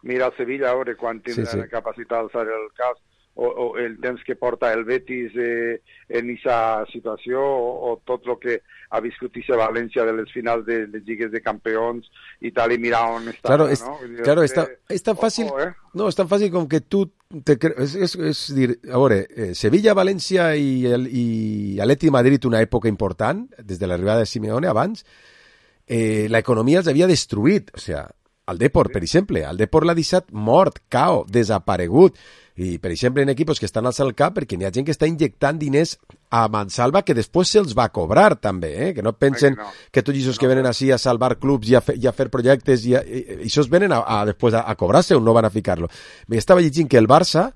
Mira el Sevilla, a veure quan tindrà la capacitat d'alçar el cas, o el temps que porta el Betis en aquesta situació, o tot el que ha viscut a València de les finals de les lligues de campions i tal, i mira on està. Claro, és tan fàcil, no, és tan fàcil com que tu és dir, a veure, Sevilla, València i Atleti Madrid una època important, des de l'arribada de Simeone abans, l'economia els havia destruït, o sigui, el Depor, per exemple, el Depor l'ha deixat mort, cao, desaparegut, i per exemple en equipos que estan al el cap perquè n'hi ha gent que està injectant diners a mansalva que després se'ls va cobrar també, que no pensen que tots aquests que venen així a salvar clubs i a fer projectes i això venen després a cobrar-se o no van a ficar-lo. Estava llegint que el Barça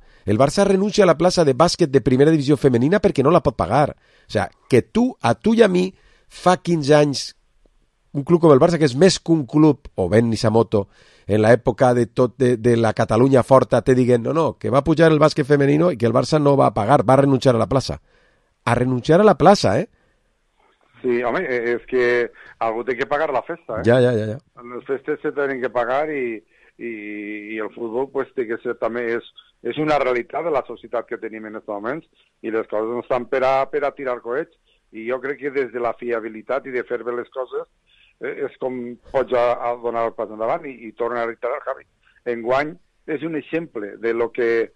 renuncia a la plaça de bàsquet de primera divisió femenina perquè no la pot pagar. O sigui, que a tu i a mi fa 15 anys un club com el Barça, que és més que un club, o Ben Nissamoto, en l'època de la Catalunya forta, te diguen, no, que va pujar el bàsquet femenino i que el Barça no va pagar, va renunciar a la plaça. A renunciar a la plaça, eh? Sí, home, és que algú té que pagar la festa, eh? Ja. Les festes se tenen que pagar i el futbol pues, té que ser també és una realitat de la societat que tenim en aquests moments i les coses no estan per a tirar coets i jo crec que des de la fiabilitat i de fer bé les coses és com pots donar el pas endavant i torna a reiterar, Javi. Enguany és un exemple de lo que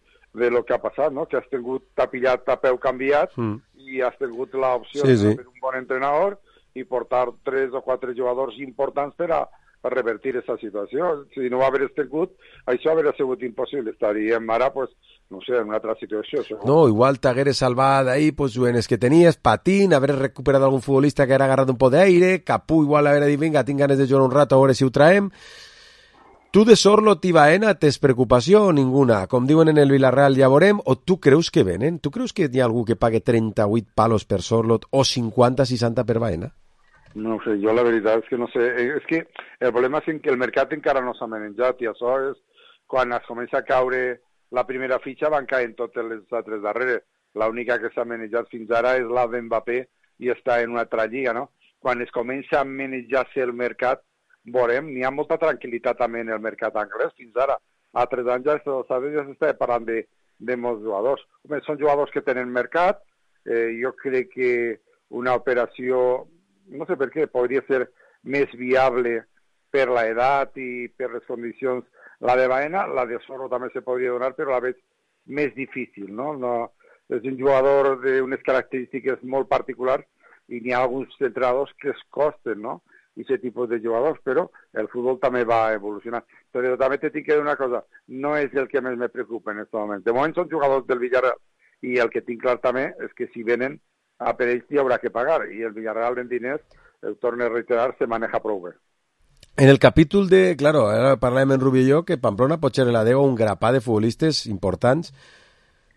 ha passat, no? Que has tingut tapillat a peu canviat i has tingut l'opció de fer un bon entrenador i portar 3 o 4 jugadors importants per a revertir aquesta situació. Si no haver tingut, això hauria sigut impossible. Estaríem ara, pues, no sé, en una altra situació. Segur. No, igual t'hagueres salvat ahí, pues, jugadors que tenies, Patín, haver recuperat algun futbolista que era agarrat un poc d'aire, Capú igual haver dit, vinga, tinc ganes de jugar un rato, a veure si ho traem. Tu de Sorlot i Baena tens preocupació o ninguna? Com diuen en el Villarreal, ja veurem, o tu creus que venen? Tu creus que hi ha algú que pague 38 palos per Sorlot o 50-60 per Baena? No sé, jo la veritat és que no sé. És que el problema és que el mercat encara no s'ha manejat i això és quan es comença a caure la primera fitxa van caient totes les altres darreres. L'única que s'ha manejat fins ara és la d'Mbappé i està en una altra lliga, no? Quan es comença a manejar-se el mercat, veurem, n'hi ha molta tranquil·litat també en el mercat anglès fins ara. A 3 anys ja s'està parlant de molts jugadors. Home, són jugadors que tenen mercat. Jo crec que una operació, no sé per què, podria ser més viable per l'edat i per les condicions. La de Baena, la de Soro també se podria donar, però a la vegada més difícil, no? És un jugador d'unes característiques molt particulars i n'hi ha alguns entrenadors que es costen, no? Aquest tipus de jugadors, però el futbol també va evolucionar. Però també t'he de dir una cosa, no és el que més me preocupa en aquest moment. De moment són jugadors del Villarreal i el que tinc clar també és que si venen a per ells hi haurà que pagar i el Villarreal en diners, el torno a reiterar, se maneja prou bé. En el capítol de... Claro, ara parlàvem en Rubí i jo que Pamplona pot ser la deu un grapà de futbolistes importants.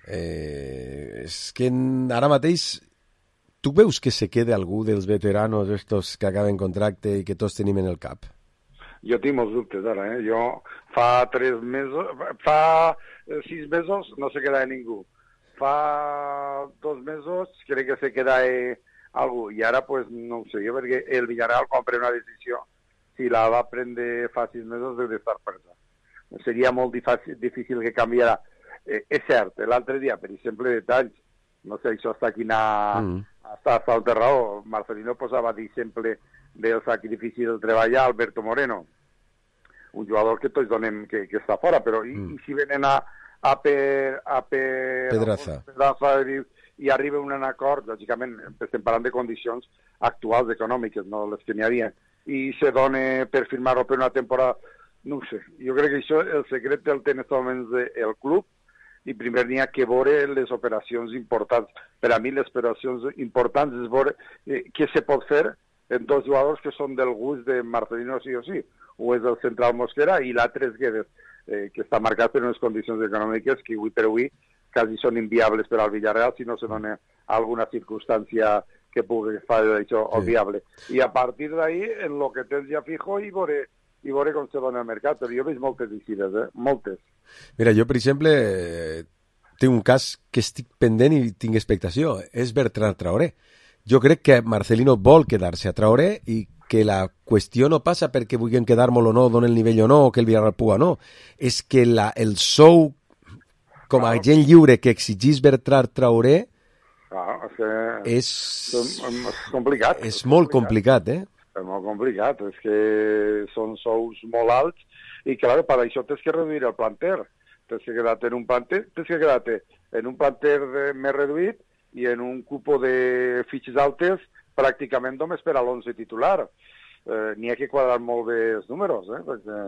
És que ara mateix tu veus que se queda algú dels veteranos estos que acaben contracte i que tots tenim en el cap? Jo tinc molts dubtes ara, Jo fa 6 mesos no se queda ningú. Fa 2 mesos crec que se queda algú i ara pues no ho sé, perquè el Villarreal quan pren una decisió si la va prendre fa 6 mesos deu d'estar presa. Seria molt difícil que canviarà. És cert, l'altre dia, per exemple, detalls, no sé, això està aquí hasta el raó. Marcelino posava d'exemple del sacrifici del treball a Alberto Moreno, un jugador que tots donem que està fora, però i si venen a Pedraza i arriba un acord, lògicament estem parlant de condicions actuals econòmiques, no les que n'hi havia, i se dona per firmar-ho per una temporada, no ho sé. Jo crec que això, el secret el té en aquests moments el club, i primer n'hi ha que veure les operacions importants. Per a mi les operacions importants és veure què se pot fer en dos jugadors que són del gust de Marcelino sí o sí. O és el central Mosquera i l'altre és Guedes, que està marcat per unes condicions econòmiques que avui per avui quasi són inviables per al Villarreal si no se dona alguna circumstància que pugui fer això viable. I a partir d'ahí, en lo que tens ja fijo, i veure com se dona el mercat. Però jo veig moltes decides, moltes. Mira, jo, per exemple, tinc un cas que estic pendent i tinc expectació. És Bertrand Traoré. Jo crec que Marcelino vol quedar-se a Traoré i que la qüestió no passa perquè vulguin quedar molt o no, donen el nivell o no, o que el Villarreal puga o no. És que el sou com a agent lliure que exigís Bertrand Traoré és complicat. És molt complicat, És molt complicat, és que són sous molt alts i, clar, per això tens que reduir el planter. Tens que quedar-te en un planter més reduït i en un cupo de fitxes altes pràcticament només per a l'11 titular. N'hi ha que quadrar molt bé els números, perquè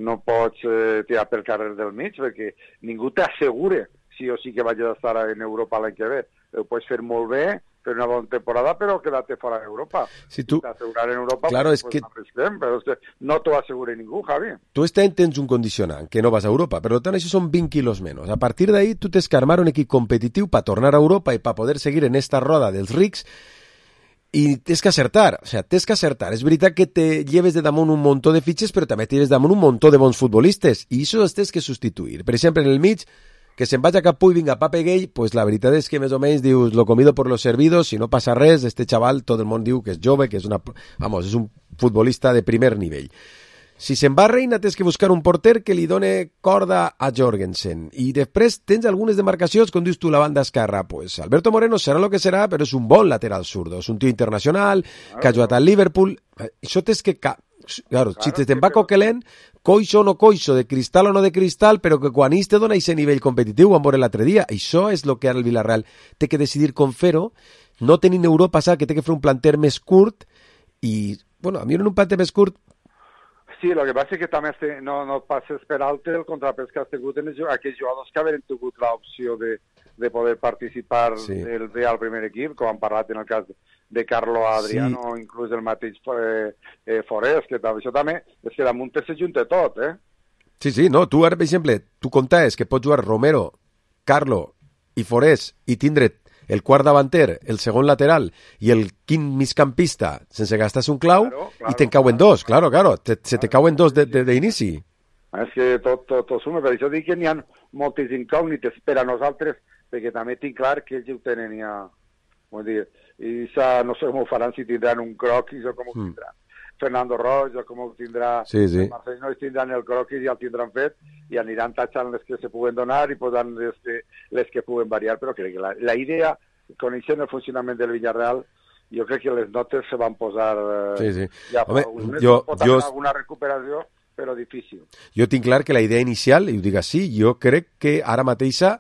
no pots tirar pel carrer del mig, perquè ningú t'assegura sí o sí que vagis a estar en Europa l'any que ve. Ho pots fer molt bé, fer una bona temporada, però quedar-te fora d'Europa. Si tu... T'assegurar en Europa, claro, pues però és que no t'ho assegura ningú, Javi. Tu este any tens un condicionant, que no vas a Europa, per tant això són 20 quilos menys. A partir d'ahí tu tens que armar un equip competitiu per tornar a Europa i per poder seguir en esta roda dels rics i tens que acertar, tens que acertar. És veritat que te lleves de damunt un muntó de fitxes, però també te lleves damunt un muntó de bons futbolistes, i això els tens que substituir. Per exemple, en el mig, que se'n vaig a Capú i vinga Pape Gay, pues la veritat és que més o menys dius, lo comido por los servidos, si no passa res, este xaval, tot el món diu que és jove, que és és un futbolista de primer nivell. Si se'n va Reina, tens que buscar un porter que li done corda a Jorgensen. I després tens algunes demarcacions, com dius tu, la banda esquerra. Pues Alberto Moreno serà el que serà, però és un bon lateral zurdo. És un tio internacional, que ha jugat al Liverpool. Això tens que... Claro, si te'n va Coquelin, coixo o no coixo, de cristal o no de cristal, però que quan ells te dona aquest nivell competitiu, vam veure l'altre dia. Això és el que ara el Villarreal té que decidir com fer-ho. No tenint Europa, sap que té que fer un planter més curt i, bueno, a mi en un planter més curt. Sí, el que passa és que també no passes per alt el contrapès que has tingut en aquells jugadors que haveren tingut l'opció de poder participar del Real primer equip, com han parlat en el cas de Carlo Adriano, o inclús el mateix Forés, que això també és que damunt se junta tot, Sí, no, tu ara, per exemple, tu comptaves que pots jugar Romero, Carlo i Forés i tindre el quart davanter, el segon lateral i el quint migcampista sense gastar-se un clau, i te'n cauen dos, claro, se te cauen dos d'inici. És que tot suma, per això dic que n'hi ha moltes incògnites per a nosaltres, perquè també tinc clar que ells ho tenen ja, vull dir, i no sé com ho faran, si tindran un croquis o com ho tindran. Fernando Roig o com ho tindrà Marcelino, tindran el croquis i el tindran fet i aniran tachant les que se puguen donar i posant les que puguen variar, però crec que la idea, coneixent el funcionament del Villarreal, jo crec que les notes se van posar Sí. ja fa Home, uns mesos. jo- Pot haver alguna recuperació, però difícil. Jo tinc clar que la idea inicial, i ho dic així, jo crec que ara mateixa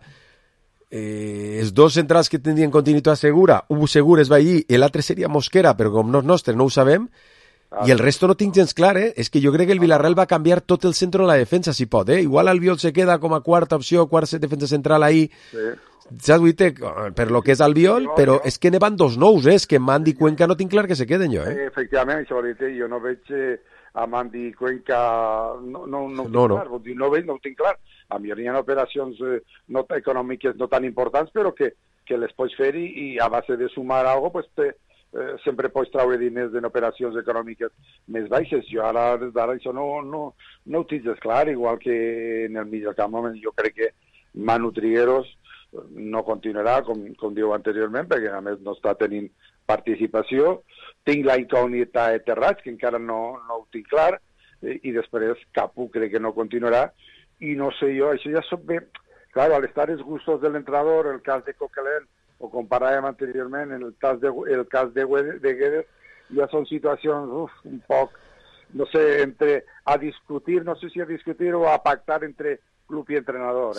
els dos centrals que tindrien continuïtat segura, un segur es va allí i l'altre seria Mosquera, però com no és nostre no ho sabem, i el resto no tinc gens clar, és que jo crec que el Villarreal va canviar tot el centre de la defensa, si pot, igual Albiol se queda com a quarta opció, quart defensa central ahí, saps, Guite, per lo que és Albiol, però és que ne van dos nous, és que Mandi i Cuenca no tinc clar que se queden jo, Efectivament, això vol dir, jo no veig a Mandi i Cuenca, no ho tinc No. clar, vol dir, no ho tinc clar. A mi hi ha operacions no econòmiques no tan importants, però que les pots fer i a base de sumar alguna cosa, pues, sempre pots traure diners en operacions econòmiques més baixes. Jo ara, des d'ara, això no ho tinc clar, igual que en el millor camp, jo crec que Manu Trigueros no continuarà, com diu anteriorment, perquè a més no està tenint participació. Tinc la incògnita de Terrats, que encara no ho tinc clar, i després Capu crec que no continuarà, i no sé jo, això ja soc bé... Claro, al estar els gustos del entrenador, el cas de Coquelin, o comparàvem anteriorment el cas de Guedes, ja són situacions un poc, no sé, entre a discutir, no sé si a discutir o a pactar entre club i entrenador.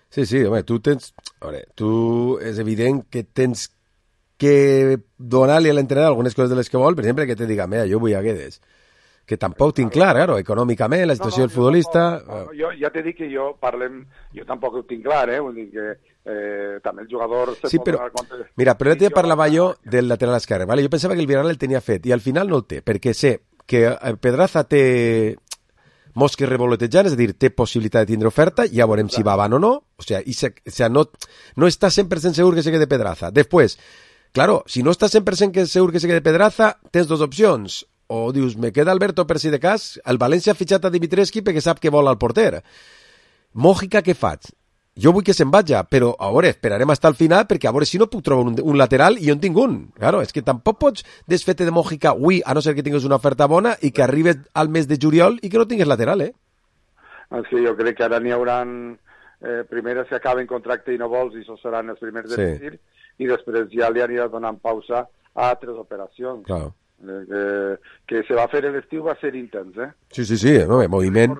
Sí, home, tu és evident que tens que donar-li a l'entrenador algunes coses de les que vol, per exemple, que te diga, mira, jo vull a Guedes, que tampoc tinc clar, claro, econòmicament, la situació del futbolista... Jo ja t'he dit que jo tampoc ho tinc clar, vull dir que també el jugador... Sí, però, mira, però l'altre dia parlava jo del lateral esquerre, ¿vale? Jo pensava que el Villarreal el tenia fet, i al final no el té, perquè sé que Pedraza té mosques revoletejant, és a dir, té possibilitat de tindre oferta, ja veurem si va avant o no, no està 100% segur que se quede Pedraza. Després, claro, si no estàs 100% segur que se quede Pedraza, tens dos opcions, o dius, me queda Alberto per si de cas, el València ha fitxat a Dimitrescu perquè sap que vol al porter. Mòjica, què faig? Jo vull que se'n vaja, però a veure, esperarem fins al final perquè a veure si no puc trobar un lateral i jo en tinc un. Claro, és que tampoc pots desfer-te de Mòjica avui, a no ser que tinguis una oferta bona i que arribes al mes de juliol i que no tinguis lateral, És que jo crec que ara n'hi haurà primeres que acaben contracte i no vols i això seran els primers de decidir i després ja li anirà donant pausa a altres operacions. Claro. Que se va fer l'estiu va ser intens, Sí, moviment.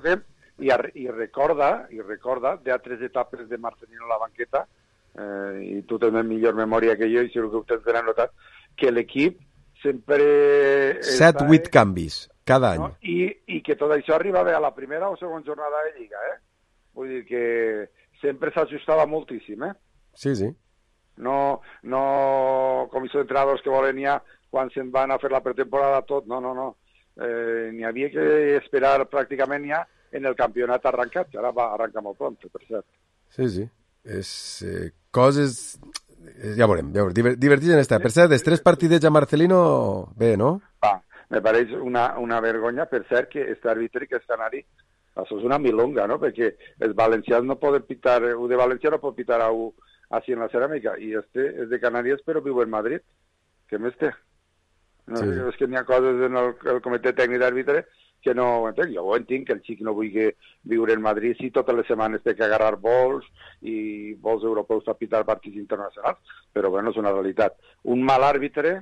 I recorda d'altres etapes de Marcelino a la banqueta, i tu tens millor memòria que jo i segur que ho tens ben anotat, que l'equip sempre... 7-8 canvis cada any. No? I que tot això arribava a la primera o segona jornada de Lliga, Vull dir que sempre s'ajustava moltíssim, Sí. No com aquests entrenadors que volen ja quan se'n van a fer la pretemporada tot, no. N'hi havia que esperar pràcticament ja en el campionat arrencat, que ara va arrencar molt pront, per cert. Sí. És coses... Ja veurem. Divertits en esta. Per cert, els 3 partidets a Marcelino, bé, no? Me pareix una vergonya, per cert, que este àrbitre que és canari, això és una milonga, no? Perquè els valencians no poden pitar, el de València no pot pitar així en la ceràmica, i este és de Canàries però viu en Madrid. Què més té? No, sí. És que n'hi ha coses en el comitè tècnic d'àrbitre que no ho entenc. Jo ho entenc que el xic no vulgui viure en Madrid si totes les setmanes té que agarrar vols i vols europeus a pitar partits internacionals, però bueno, és una realitat. Un mal àrbitre,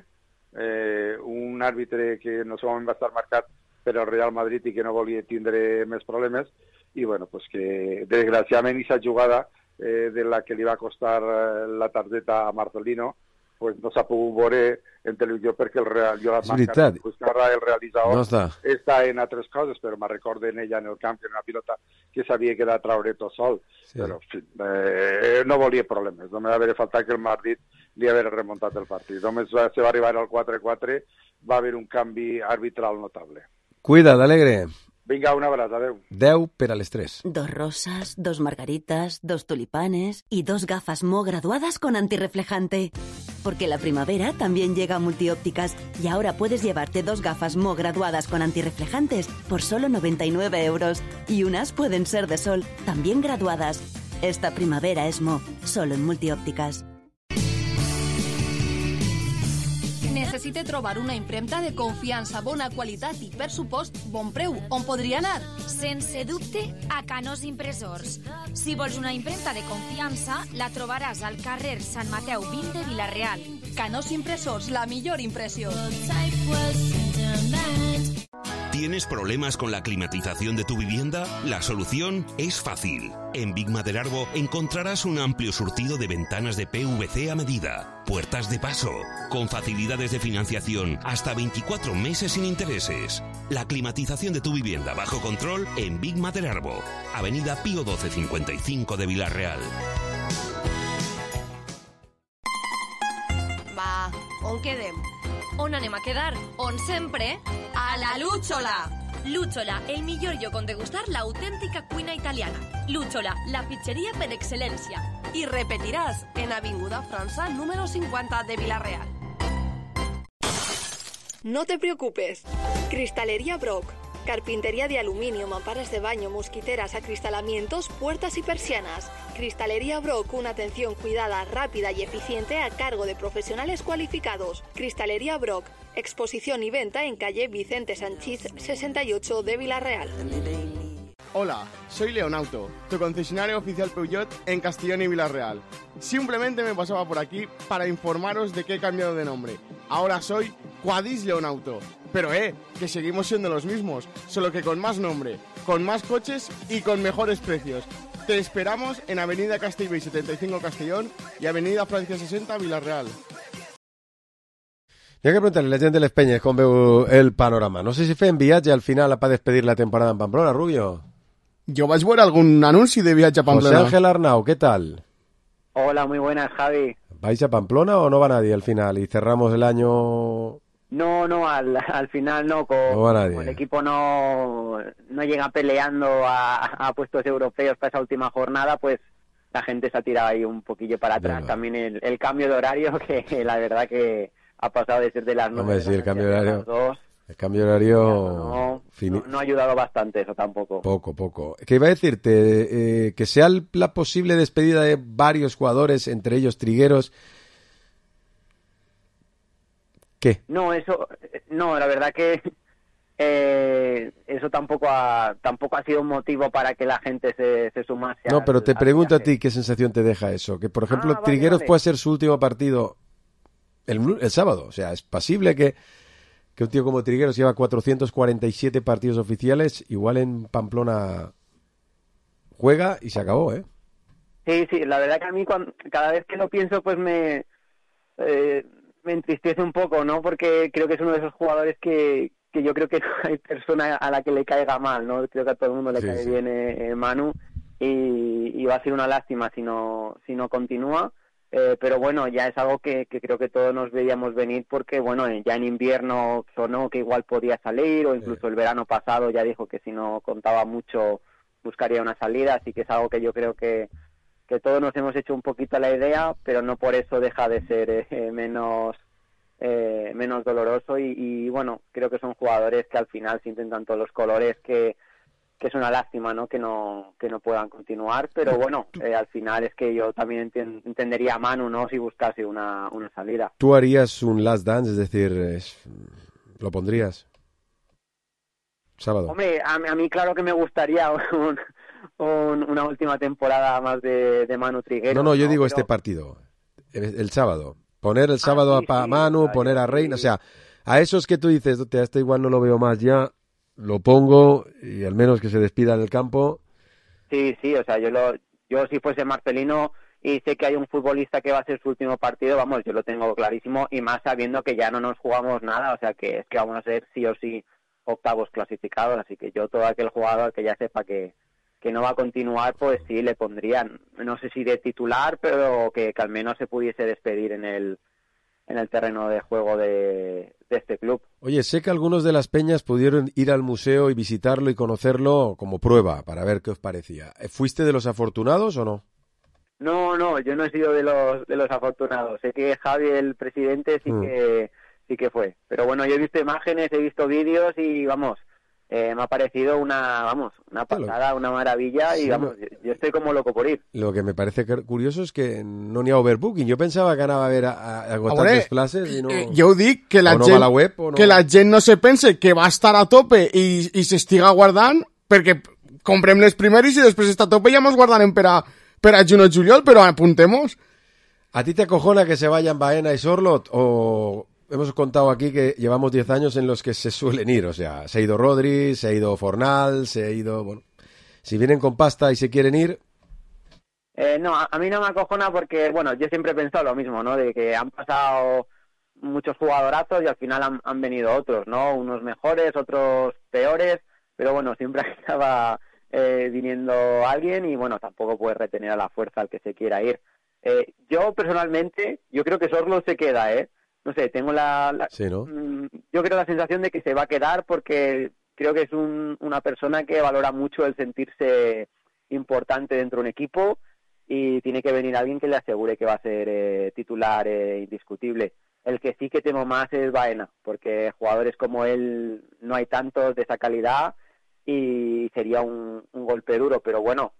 un àrbitre que no solament va estar marcat per al Real Madrid i que no volia tindre més problemes, i bueno, pues que desgraciadament aquesta jugada de la que li va costar la targeta a Marcelino, pues no s'ha pogut veure en televisió perquè el realitzador està en altres coses, però me recordo en ella en el camp, que era una pilota que s'havia quedat a traure tot sol, però en fi, no volia problemes, només va haver faltat que el Madrid li haver remuntat el partit. Només se va arribar al 4-4, va haver un canvi arbitral notable. Cuida't, Alegre. Vinga, un abraç, adeu. 10 per a les 3. 2 rosas, 2 margaritas, 2 tulipanes y 2 gafas Mo graduadas con antirreflejante. Porque la primavera también llega a Multiópticas y ahora puedes llevarte 2 gafas Mo graduadas con antirreflejantes por solo 99 €. Y unas pueden ser de sol, también graduadas. Esta primavera es Mo, solo en Multiópticas. necessite trobar una impremta de confiança, bona qualitat i, per supost, bon preu, on podria anar? Sense dubte, a Canós Impressors. Si vols una impremta de confiança, la trobaràs al carrer Sant Mateu 20 de Vila-real. Canós Impressors, la millor impressió. ¿Tienes problemas con la climatización de tu vivienda? La solución es fácil. En Big Maderarbo encontrarás un amplio surtido de ventanas de PVC a medida, puertas de paso, con facilidades de financiación hasta 24 meses sin intereses. La climatización de tu vivienda bajo control en Big Maderarbo, Avenida Pío 1255 de Vila-real. Va, on quedem? On anem a quedar? On sempre? A la Lúchola! Lúchola, el millor lloc on degustar l'autèntica cuina italiana. Lúchola, la pizzeria per excel·lència. I repetiràs en Avinguda França número 50 de Vila-real. No te preocupes. Cristalería Brock. Carpintería de aluminio, mamparas de baño, mosquiteras, acristalamientos, puertas y persianas. Cristalería Brock, una atención cuidada, rápida y eficiente a cargo de profesionales cualificados. Cristalería Brock, exposición y venta en calle Vicente Sanchís 68 de Vila-real. Hola, soy Leonauto, tu concesionario oficial Peugeot en Castellón y Vila-real. Simplemente me pasaba por aquí para informaros de que he cambiado de nombre. Ahora soy Quadis Leonauto. Pero que seguimos siendo los mismos, solo que con más nombre, con más coches y con mejores precios. Te esperamos en Avenida Castellbell 75 Castellón y Avenida Francia 60 Vila-real. Hi ha que preguntar-li a la gent de les penyes com veu el panorama. No sé si fem viatge al final per despedir la temporada en Pamplona, Rubio. Yo vais a ver algún anuncio de viaje a Pamplona. José Ángel Arnau, ¿qué tal? Hola, muy buenas, Javi. ¿Vais a Pamplona o no va nadie al final? Y cerramos el año... No, al final no. No va nadie. Como el equipo no llega peleando a puestos europeos para esa última jornada, pues la gente se ha tirado ahí un poquillo para atrás. Venga. También el cambio de horario, que la verdad que ha pasado de ser de las 9 Hombre, sí, el cambio de horario. las 2. El cambio de horario... No ha ayudado bastante eso tampoco. Poco. ¿Qué iba a decirte? Que sea la posible despedida de varios jugadores, entre ellos Trigueros. ¿Qué? No, la verdad que eso tampoco ha sido un motivo para que la gente se sumase. No, pero te pregunto a ti qué sensación te deja eso. Que, por ejemplo, Trigueros puede ser su último partido el sábado. O sea, es posible que un tío como Trigueros lleva 447 partidos oficiales, igual en Pamplona juega y se acabó, ¿eh? Sí, la verdad que a mí cada vez que lo pienso, pues me entristece un poco, ¿no? Porque creo que es uno de esos jugadores que yo creo que no hay persona a la que le caiga mal, ¿no? Creo que a todo el mundo le cae bien Manu y va a ser una lástima si no continúa. Pero bueno, ya es algo que creo que todos nos veíamos venir porque, bueno, ya en invierno sonó que igual podía salir o incluso el verano pasado ya dijo que si no contaba mucho buscaría una salida, así que es algo que yo creo que todos nos hemos hecho un poquito la idea, pero no por eso deja de ser menos doloroso y bueno, creo que son jugadores que al final sienten tanto los colores que es una lástima, ¿no? Que no puedan continuar, pero bueno, al final es que yo también entendería a Manu, ¿no? Si buscase una salida. ¿Tú harías un last dance? Es decir, ¿lo pondrías? Sábado. Hombre, a mí claro que me gustaría una última temporada más de Manu Trigueros. No, yo digo este partido, el sábado. Poner el sábado a Manu, poner a Reina, o sea, a esos que tú dices, este igual no lo veo más ya, lo pongo y al menos que se despida en el campo. Sí, o sea, yo si fuese Marcelino y sé que hay un futbolista que va a ser su último partido, vamos, yo lo tengo clarísimo y más sabiendo que ya no nos jugamos nada, o sea, que es que vamos a ser sí o sí octavos clasificados, así que yo todo aquel jugador que ya sepa que no va a continuar, pues sí le pondrían, no sé si de titular, pero que al menos se pudiese despedir en el terreno de juego de este club. Oye, sé que algunos de las peñas pudieron ir al museo y visitarlo y conocerlo como prueba para ver qué os parecía. ¿Fuiste de los afortunados o no? No, yo no he sido de los afortunados. Sé que Javi, el presidente, sí que fue. Pero bueno, yo he visto imágenes, he visto vídeos y vamos, me ha parecido una pasada, una maravilla, y vamos, yo estoy como loco por ir. Lo que me parece curioso és que no n'hi ha overbooking. Jo pensava que anava a haver agotat les places i no... Jo ho dic, que la, no gent, va a la web, o no... que la gent no se pense que va estar a tope i s'estiga guardant, perquè comprem les primeres i després està a tope i ja mos guardarem per a juny o juliol, però apuntemos. ¿A ti te acojona que se vayan Baena y Sorloth o...? Hemos contado aquí que llevamos 10 años en los que se suelen ir, o sea, se ha ido Rodri, se ha ido Fornal, se ha ido... Bueno, si vienen con pasta y se quieren ir... No, a mí no me acojona porque, bueno, yo siempre he pensado lo mismo, ¿no? De que han pasado muchos jugadorazos y al final han venido otros, ¿no? Unos mejores, otros peores, pero bueno, siempre acaba viniendo alguien y, bueno, tampoco puedes retener a la fuerza al que se quiera ir. Yo, personalmente, yo creo que Sorloth se queda, No sé, tengo sí, ¿no? Yo creo la sensación de que se va a quedar porque creo que es una persona que valora mucho el sentirse importante dentro de un equipo y tiene que venir alguien que le asegure que va a ser titular indiscutible. El que sí que temo más es Baena, porque jugadores como él no hay tantos de esa calidad y sería un golpe duro, pero bueno,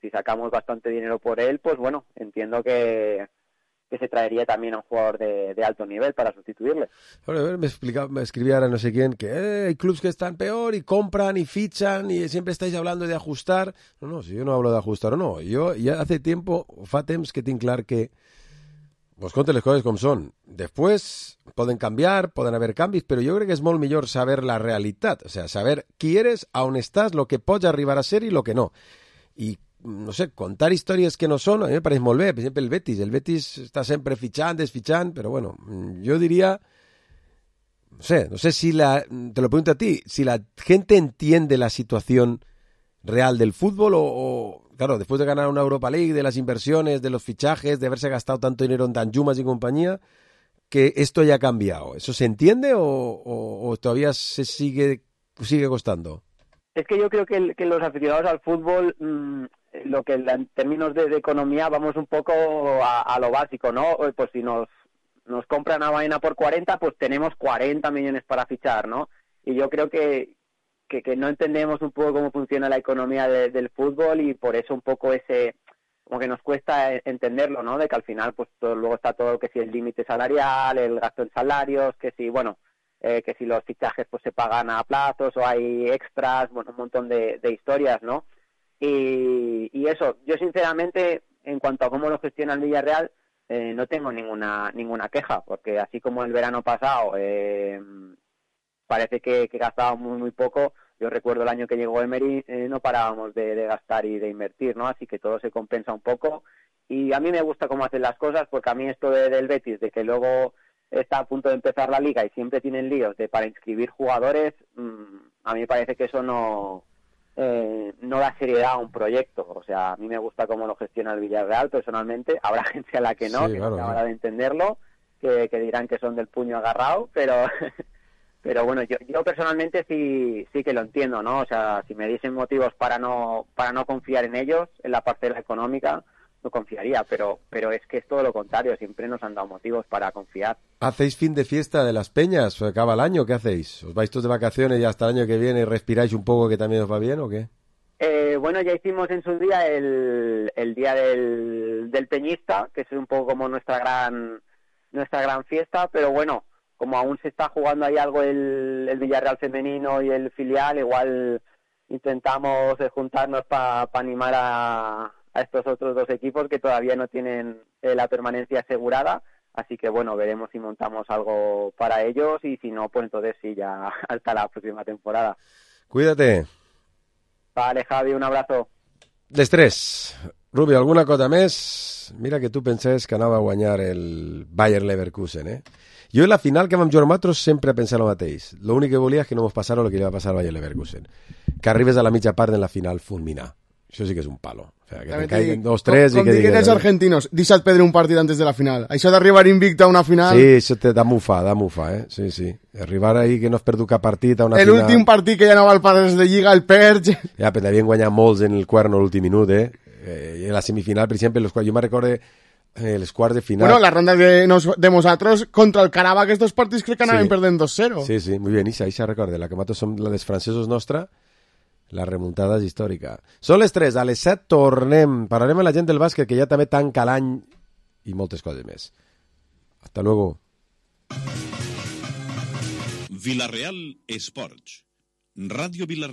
si sacamos bastante dinero por él, pues bueno, entiendo que se traería también a un jugador de alto nivel para sustituirle. Bueno, a ver, me escribía ahora no sé quién que hay clubs que están peor y compran y fichan y siempre estáis hablando de ajustar. No, si yo no hablo de ajustar o no. Yo ya hace tiempo, fa temps que tinc clar que vos conte les coses com són. Després poden canviar, poden haver canvis, però jo crec que és molt millor saber la realitat, o sea, saber qui eres, a on estàs, lo que pots arribar a ser i lo que no. I no sé, contar històries que no són, a mi me pareix molt bé. Per exemple, el Betis està sempre fitxant, desfitxant, però bueno, jo diria, no sé si te lo pregunto a ti, si la gente entiende la situación real del fútbol o claro, después de ganar una Europa League, de las inversiones, de los fichajes, de haberse gastado tanto dinero en Danjumas y compañía, que esto ya ha cambiado. ¿Eso se entiende o todavía se sigue costando? Es que yo creo que los aficionados al fútbol, lo que en términos de economía vamos un poco a lo básico, ¿no? Pues si nos compran a Baena por 40, pues tenemos 40 millones para fichar, ¿no? Y yo creo que no entendemos un poco cómo funciona la economía del fútbol y por eso un poco como que nos cuesta entenderlo, ¿no? De que al final pues luego está todo que si el límite salarial, el gasto en salarios, que si, bueno, que si los fichajes pues se pagan a plazos o hay extras, bueno, un montón de historias, ¿no? Y eso, yo sinceramente, en cuanto a cómo lo gestiona el Villarreal, no tengo ninguna queja, porque así como el verano pasado parece que gastábamos muy poco. Yo recuerdo el año que llegó Emery, no parábamos de gastar y de invertir, ¿no? Así que todo se compensa un poco. Y a mí me gusta cómo hacen las cosas, porque a mí esto del Betis, de que luego está a punto de empezar la liga y siempre tienen líos para inscribir jugadores, a mí me parece que eso no da seriedad a un proyecto. O sea, a mí me gusta cómo lo gestiona el Villarreal personalmente. Habrá gente a la que no, sí, que claro, no acabará de entenderlo, que dirán que son del puño agarrado, pero bueno, yo personalmente sí que lo entiendo, ¿no? O sea, si me dicen motivos para no confiar en ellos, en la parcela económica, no confiaría, pero es que es todo lo contrario, siempre nos han dado motivos para confiar. ¿Hacéis fin de fiesta de las peñas? ¿Se acaba el año? ¿Qué hacéis? ¿Os vais todos de vacaciones y hasta el año que viene respiráis un poco que también os va bien o qué? Bueno, ya hicimos en su día el día del peñista, que es un poco como nuestra gran fiesta, pero bueno, como aún se está jugando ahí algo el Villarreal femenino y el filial, igual intentamos juntarnos para animar a estos otros dos equipos que todavía no tienen la permanencia asegurada, así que bueno, veremos si montamos algo para ellos y si no, pues entonces sí, ya hasta la próxima temporada. Cuídate. Vale, Javi, un abrazo. D'estrès. Rubio, alguna cosa més? Mira que tu pensaves que anava a guanyar el Bayer Leverkusen, Jo en la final que vam jugar nosaltres sempre pensava el mateix. L'únic que volia és que no mos passara el que li va passar al Bayer Leverkusen. Que arribes a la mitja part en la final fulminar. Això sí que és un palo. O sea, que te caiguen 2-3 i que digues... Com els argentinos, deixa't perdre un partit antes de la final. Això d'arribar invicte a una final... Sí, això te da mufa, Sí. Arribar ahí que no has perdut cap partit a una final... L'últim partit que ja no val pares de lliga, el perds... Ja, però havien guanyat molts en el cuerno l'últim minut, I en la semifinal, per exemple, jo me'n recordo els quarts de final. Bueno, la ronda de nosaltres contra el Caraba, aquests partits crec que anaven perdent 2-0. Sí, sí, muy bien, Isa recorda, la que nosaltres som la dels francesos nostra, la remuntada és històrica. Són les 3, a les 7 tornem, parlarem amb la gent del bàsquet, que ja també tanca l'any i moltes coses més. Hasta luego. Villarreal Esports. Ràdio Villarreal.